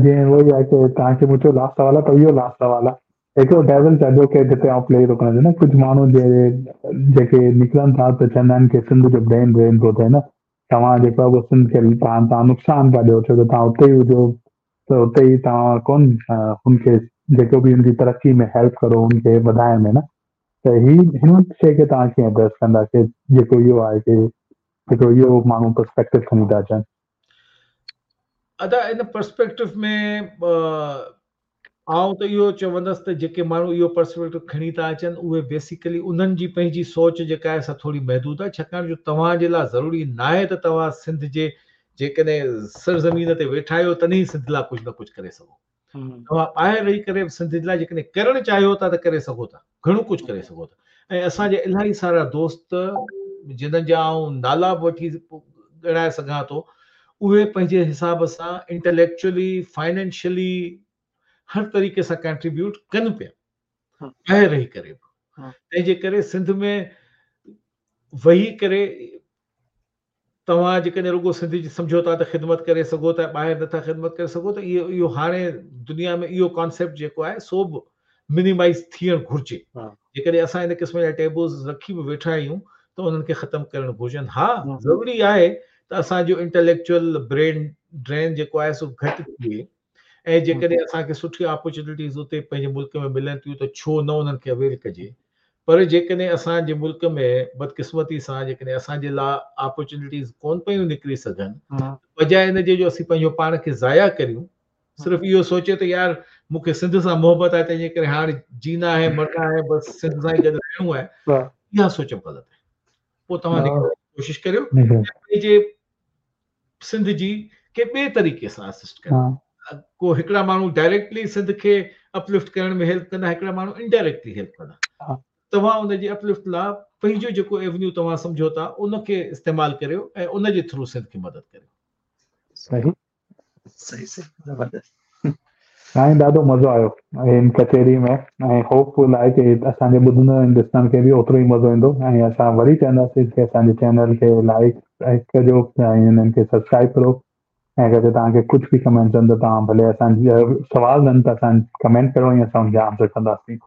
جيئن اهو ئي آهي ڪه توهان کي مون چيو لاسٽ سوال آهي ته اهو لاسٽ سوال آهي. هڪڙو ڊيولز ايڊووڪيٽ هتي آئون پلي ٿو ڪرڻ نه ڪجهه ماڻهو جي جيڪي نڪرن ٿا ته چوندا آهن ڪه سنڌ جو برين ڊرين ٿو ٿئي نه توهان جيڪو آهي اهو سنڌ کي توهان توهان نقصان پيا ڏيو ڇو ته توهان اتي ئي هجو ته اتي ئي توهان ڪون هن کي جيڪو به هن جي ترقي ۾ هيلپ ڪرو هن کي وڌائڻ ۾ نه ته هي هن شيء کي توهان ڪيئن ايڊريس ڪندا ڪه جيڪو اهو آهي ڪه جيڪو اهو ماڻهو پرسپيڪٽو کڻي ٿا اچن. ادا ان پرسپيڪٽو ۾ آئون ته اهو چوندس ته جيڪي ماڻهو اهو پرسپيڪٽو کڻي ٿا اچن اهي بيسيڪلي انهن جي پنهنجي سوچ جيڪا آهي سا ٿوري محدود آهي ڇاڪاڻ جو توهان جي لاء ضروري ناهي ته توهان سنڌ جي جيڪڏهن سرزمين تي ويٺا آهيو تڏهن ئي سنڌ لاء ڪجهه نه ڪجهه ڪري سگهو. توهان ٻاهر رهي ڪري به سنڌ لاء جيڪڏهن ڪرڻ چاهيو ٿا ته ڪري سگهو ٿا، گهڻو ڪجهه ڪري سگهو ٿا ۽ اسان جا الاهي سارا دوست جنھن جا آئون نالا به وٺي ڳڻائي سگهان ٿو اهي پنهنجي حساب سان انٽليڪچوئلي، فائنينشلي هر طريقي سان ڪنٽريبيوٽ ڪن پيا ٻاهر رهي ڪري به تنهن جي ڪري سنڌ ۾ ويهي ڪري توهان جيڪڏهن رڳو سنڌ جي سمجهو ٿا ته خدمت ڪري سگهو ٿا ٻاهر نٿا خدمت ڪري سگهو ته اهو اهو هاڻي دنيا ۾ اهو ڪانسيپٽ جيڪو آهي سو به منيمائز ٿيڻ گهرجي جيڪڏهن اسان ان قسم جا ٽيبوز رکي به ويٺا آهيون ته انهن کي ختم ڪرڻ گهرجن ها ضروري آهي ته اسان جو انٽليڪچوئل برين ڊرين جيڪو آهي سو گهٽ ٿئي ۽ جيڪڏهن اسان کي سٺي آپرچونيٽيز اتي پنهنجي ملڪ ۾ ملن ٿيون ته ڇو نه انهن کي اويل ڪجي پر جيڪڏهن اسان جي ملڪ ۾ بدقسمتي سان جيڪڏهن اسان جي لاء آپرچونيٽيز ڪون پيون نڪري سگهن بجاء ان جي جو اسين پنهنجو پاڻ کي ضايع ڪريون صرف اهو سوچي ته يار مون کي سنڌ سان محبت آهي تنهن جي ڪري هاڻ جينا آهي مرنا آهي بس سنڌ سان ئي گڏ رهڻو آهي اها سوچ به غلط آهي پوء توهان نڪرڻ جي ڪوشش ڪريو پنهنجي سنڌ جي ڪنهن ٻئي طريقي سان اسسٽ ڪريو ڪو هڪڙا ماڻهو ڊائريڪٽلي سنڌ کي اپلفٽ ڪرڻ ۾ هيلپ ڪندا هڪڙا ماڻهو انڊائريڪٽلي هيلپ ڪندا توهان ان جي اپلفٽ لاء پنهنجو جيڪو ايونيو توهان سمجهو ٿا ان کي استعمال ڪريو ۽ ان جي ٿرو سنڌ کي مدد ڪريو. صحيح صحيح صحيح زبردست. سائين ڏاڍو مزو آيو هن ڪچهري ۾ ۽ هوپ فل آهي ڪي اسان جي ٻڌندڙ ۽ ڏسندڙ کي به اوترو ئي مزو ايندو ۽ اسان وري چونداسين ڪي اسان جي چينل کي لائيڪ ڪجو ۽ انهن کي سبسڪرائب ڪرو ۽ اگر توهان کي ڪجهه به ڪمينٽس آهن ته توهان ڀلي اسان سوال آهن ته اسان ڪمينٽ ڪرو ۽ اسان ان کي آنسر ڪنداسين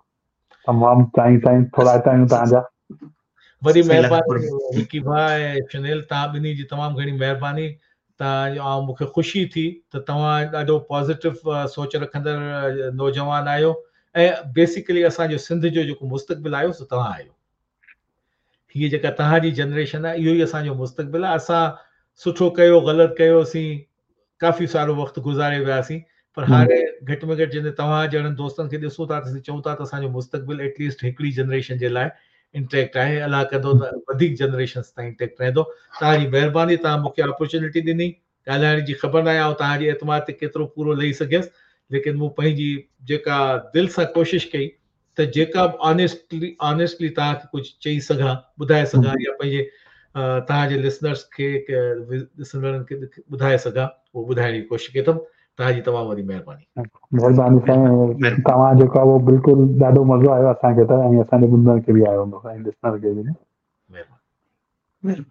تمام سائين سائين ٿورائتا آهيون توهان جا. وڏي مهرباني وڪي ڀاء ۽ شنيل توهان ٻنهي جي تمام گهڻي مهرباني توهان جو آئون مونکي خوشي ٿي ته توهان ڏاڍو پازيٽو سوچ رکندڙ نوجوان آهيو ۽ بيسيڪلي اسان جو سنڌ جو جيڪو مستقبل آهيو سو توهان آهيو هي جيڪا توهان جي جنريشن آهي اهو ئي اسان جو مستقبل آهي اسان سٺو ڪيو غلط ڪيوسين ڪافي سارو وقت گذاري وياسين پر هاڻي گهٽ ۾ گهٽ جڏهن توهان جهڙن دوستن کي ڏسون ٿا ته اسين چئون ٿا ته اسان جو مستقبل ايٽ ليسٽ هڪڙي جنريشن جي لاء انٽيڪٽ آهي الله ڪندو ته وڌيڪ جنريشنس تائين انٽيڪٽ رهندو توهان جي مهرباني توهان مون کي اپرچونٽي ڏني ڳالهائڻ جي خبر ناهي آئون توهان جي اعتماد تي ڪيترو پورو لهي سگهيس ليڪن مون پنهنجي جيڪا دل سان ڪوشش ڪئي ته جيڪا به آنيسٽلي آنيسٽلي توهان کي ڪجهه چئي سگهان ٻڌائي سگهان يا پنهنجي توهان جي لسنرس کي ڏسندڙن کي ٻڌائي سگهان اهو ٻڌائڻ جي ڪوشش ڪئي اٿم توهان جي تمام وڏي مهرباني. مهرباني سائين توهان جيڪو آهي اهو بلڪل ڏاڍو مزو آيو اسان کي ته ۽ اسان جي ٻڌندڙن کي به آيو هوندو ۽ ڏسندڙن کي به. مهرباني.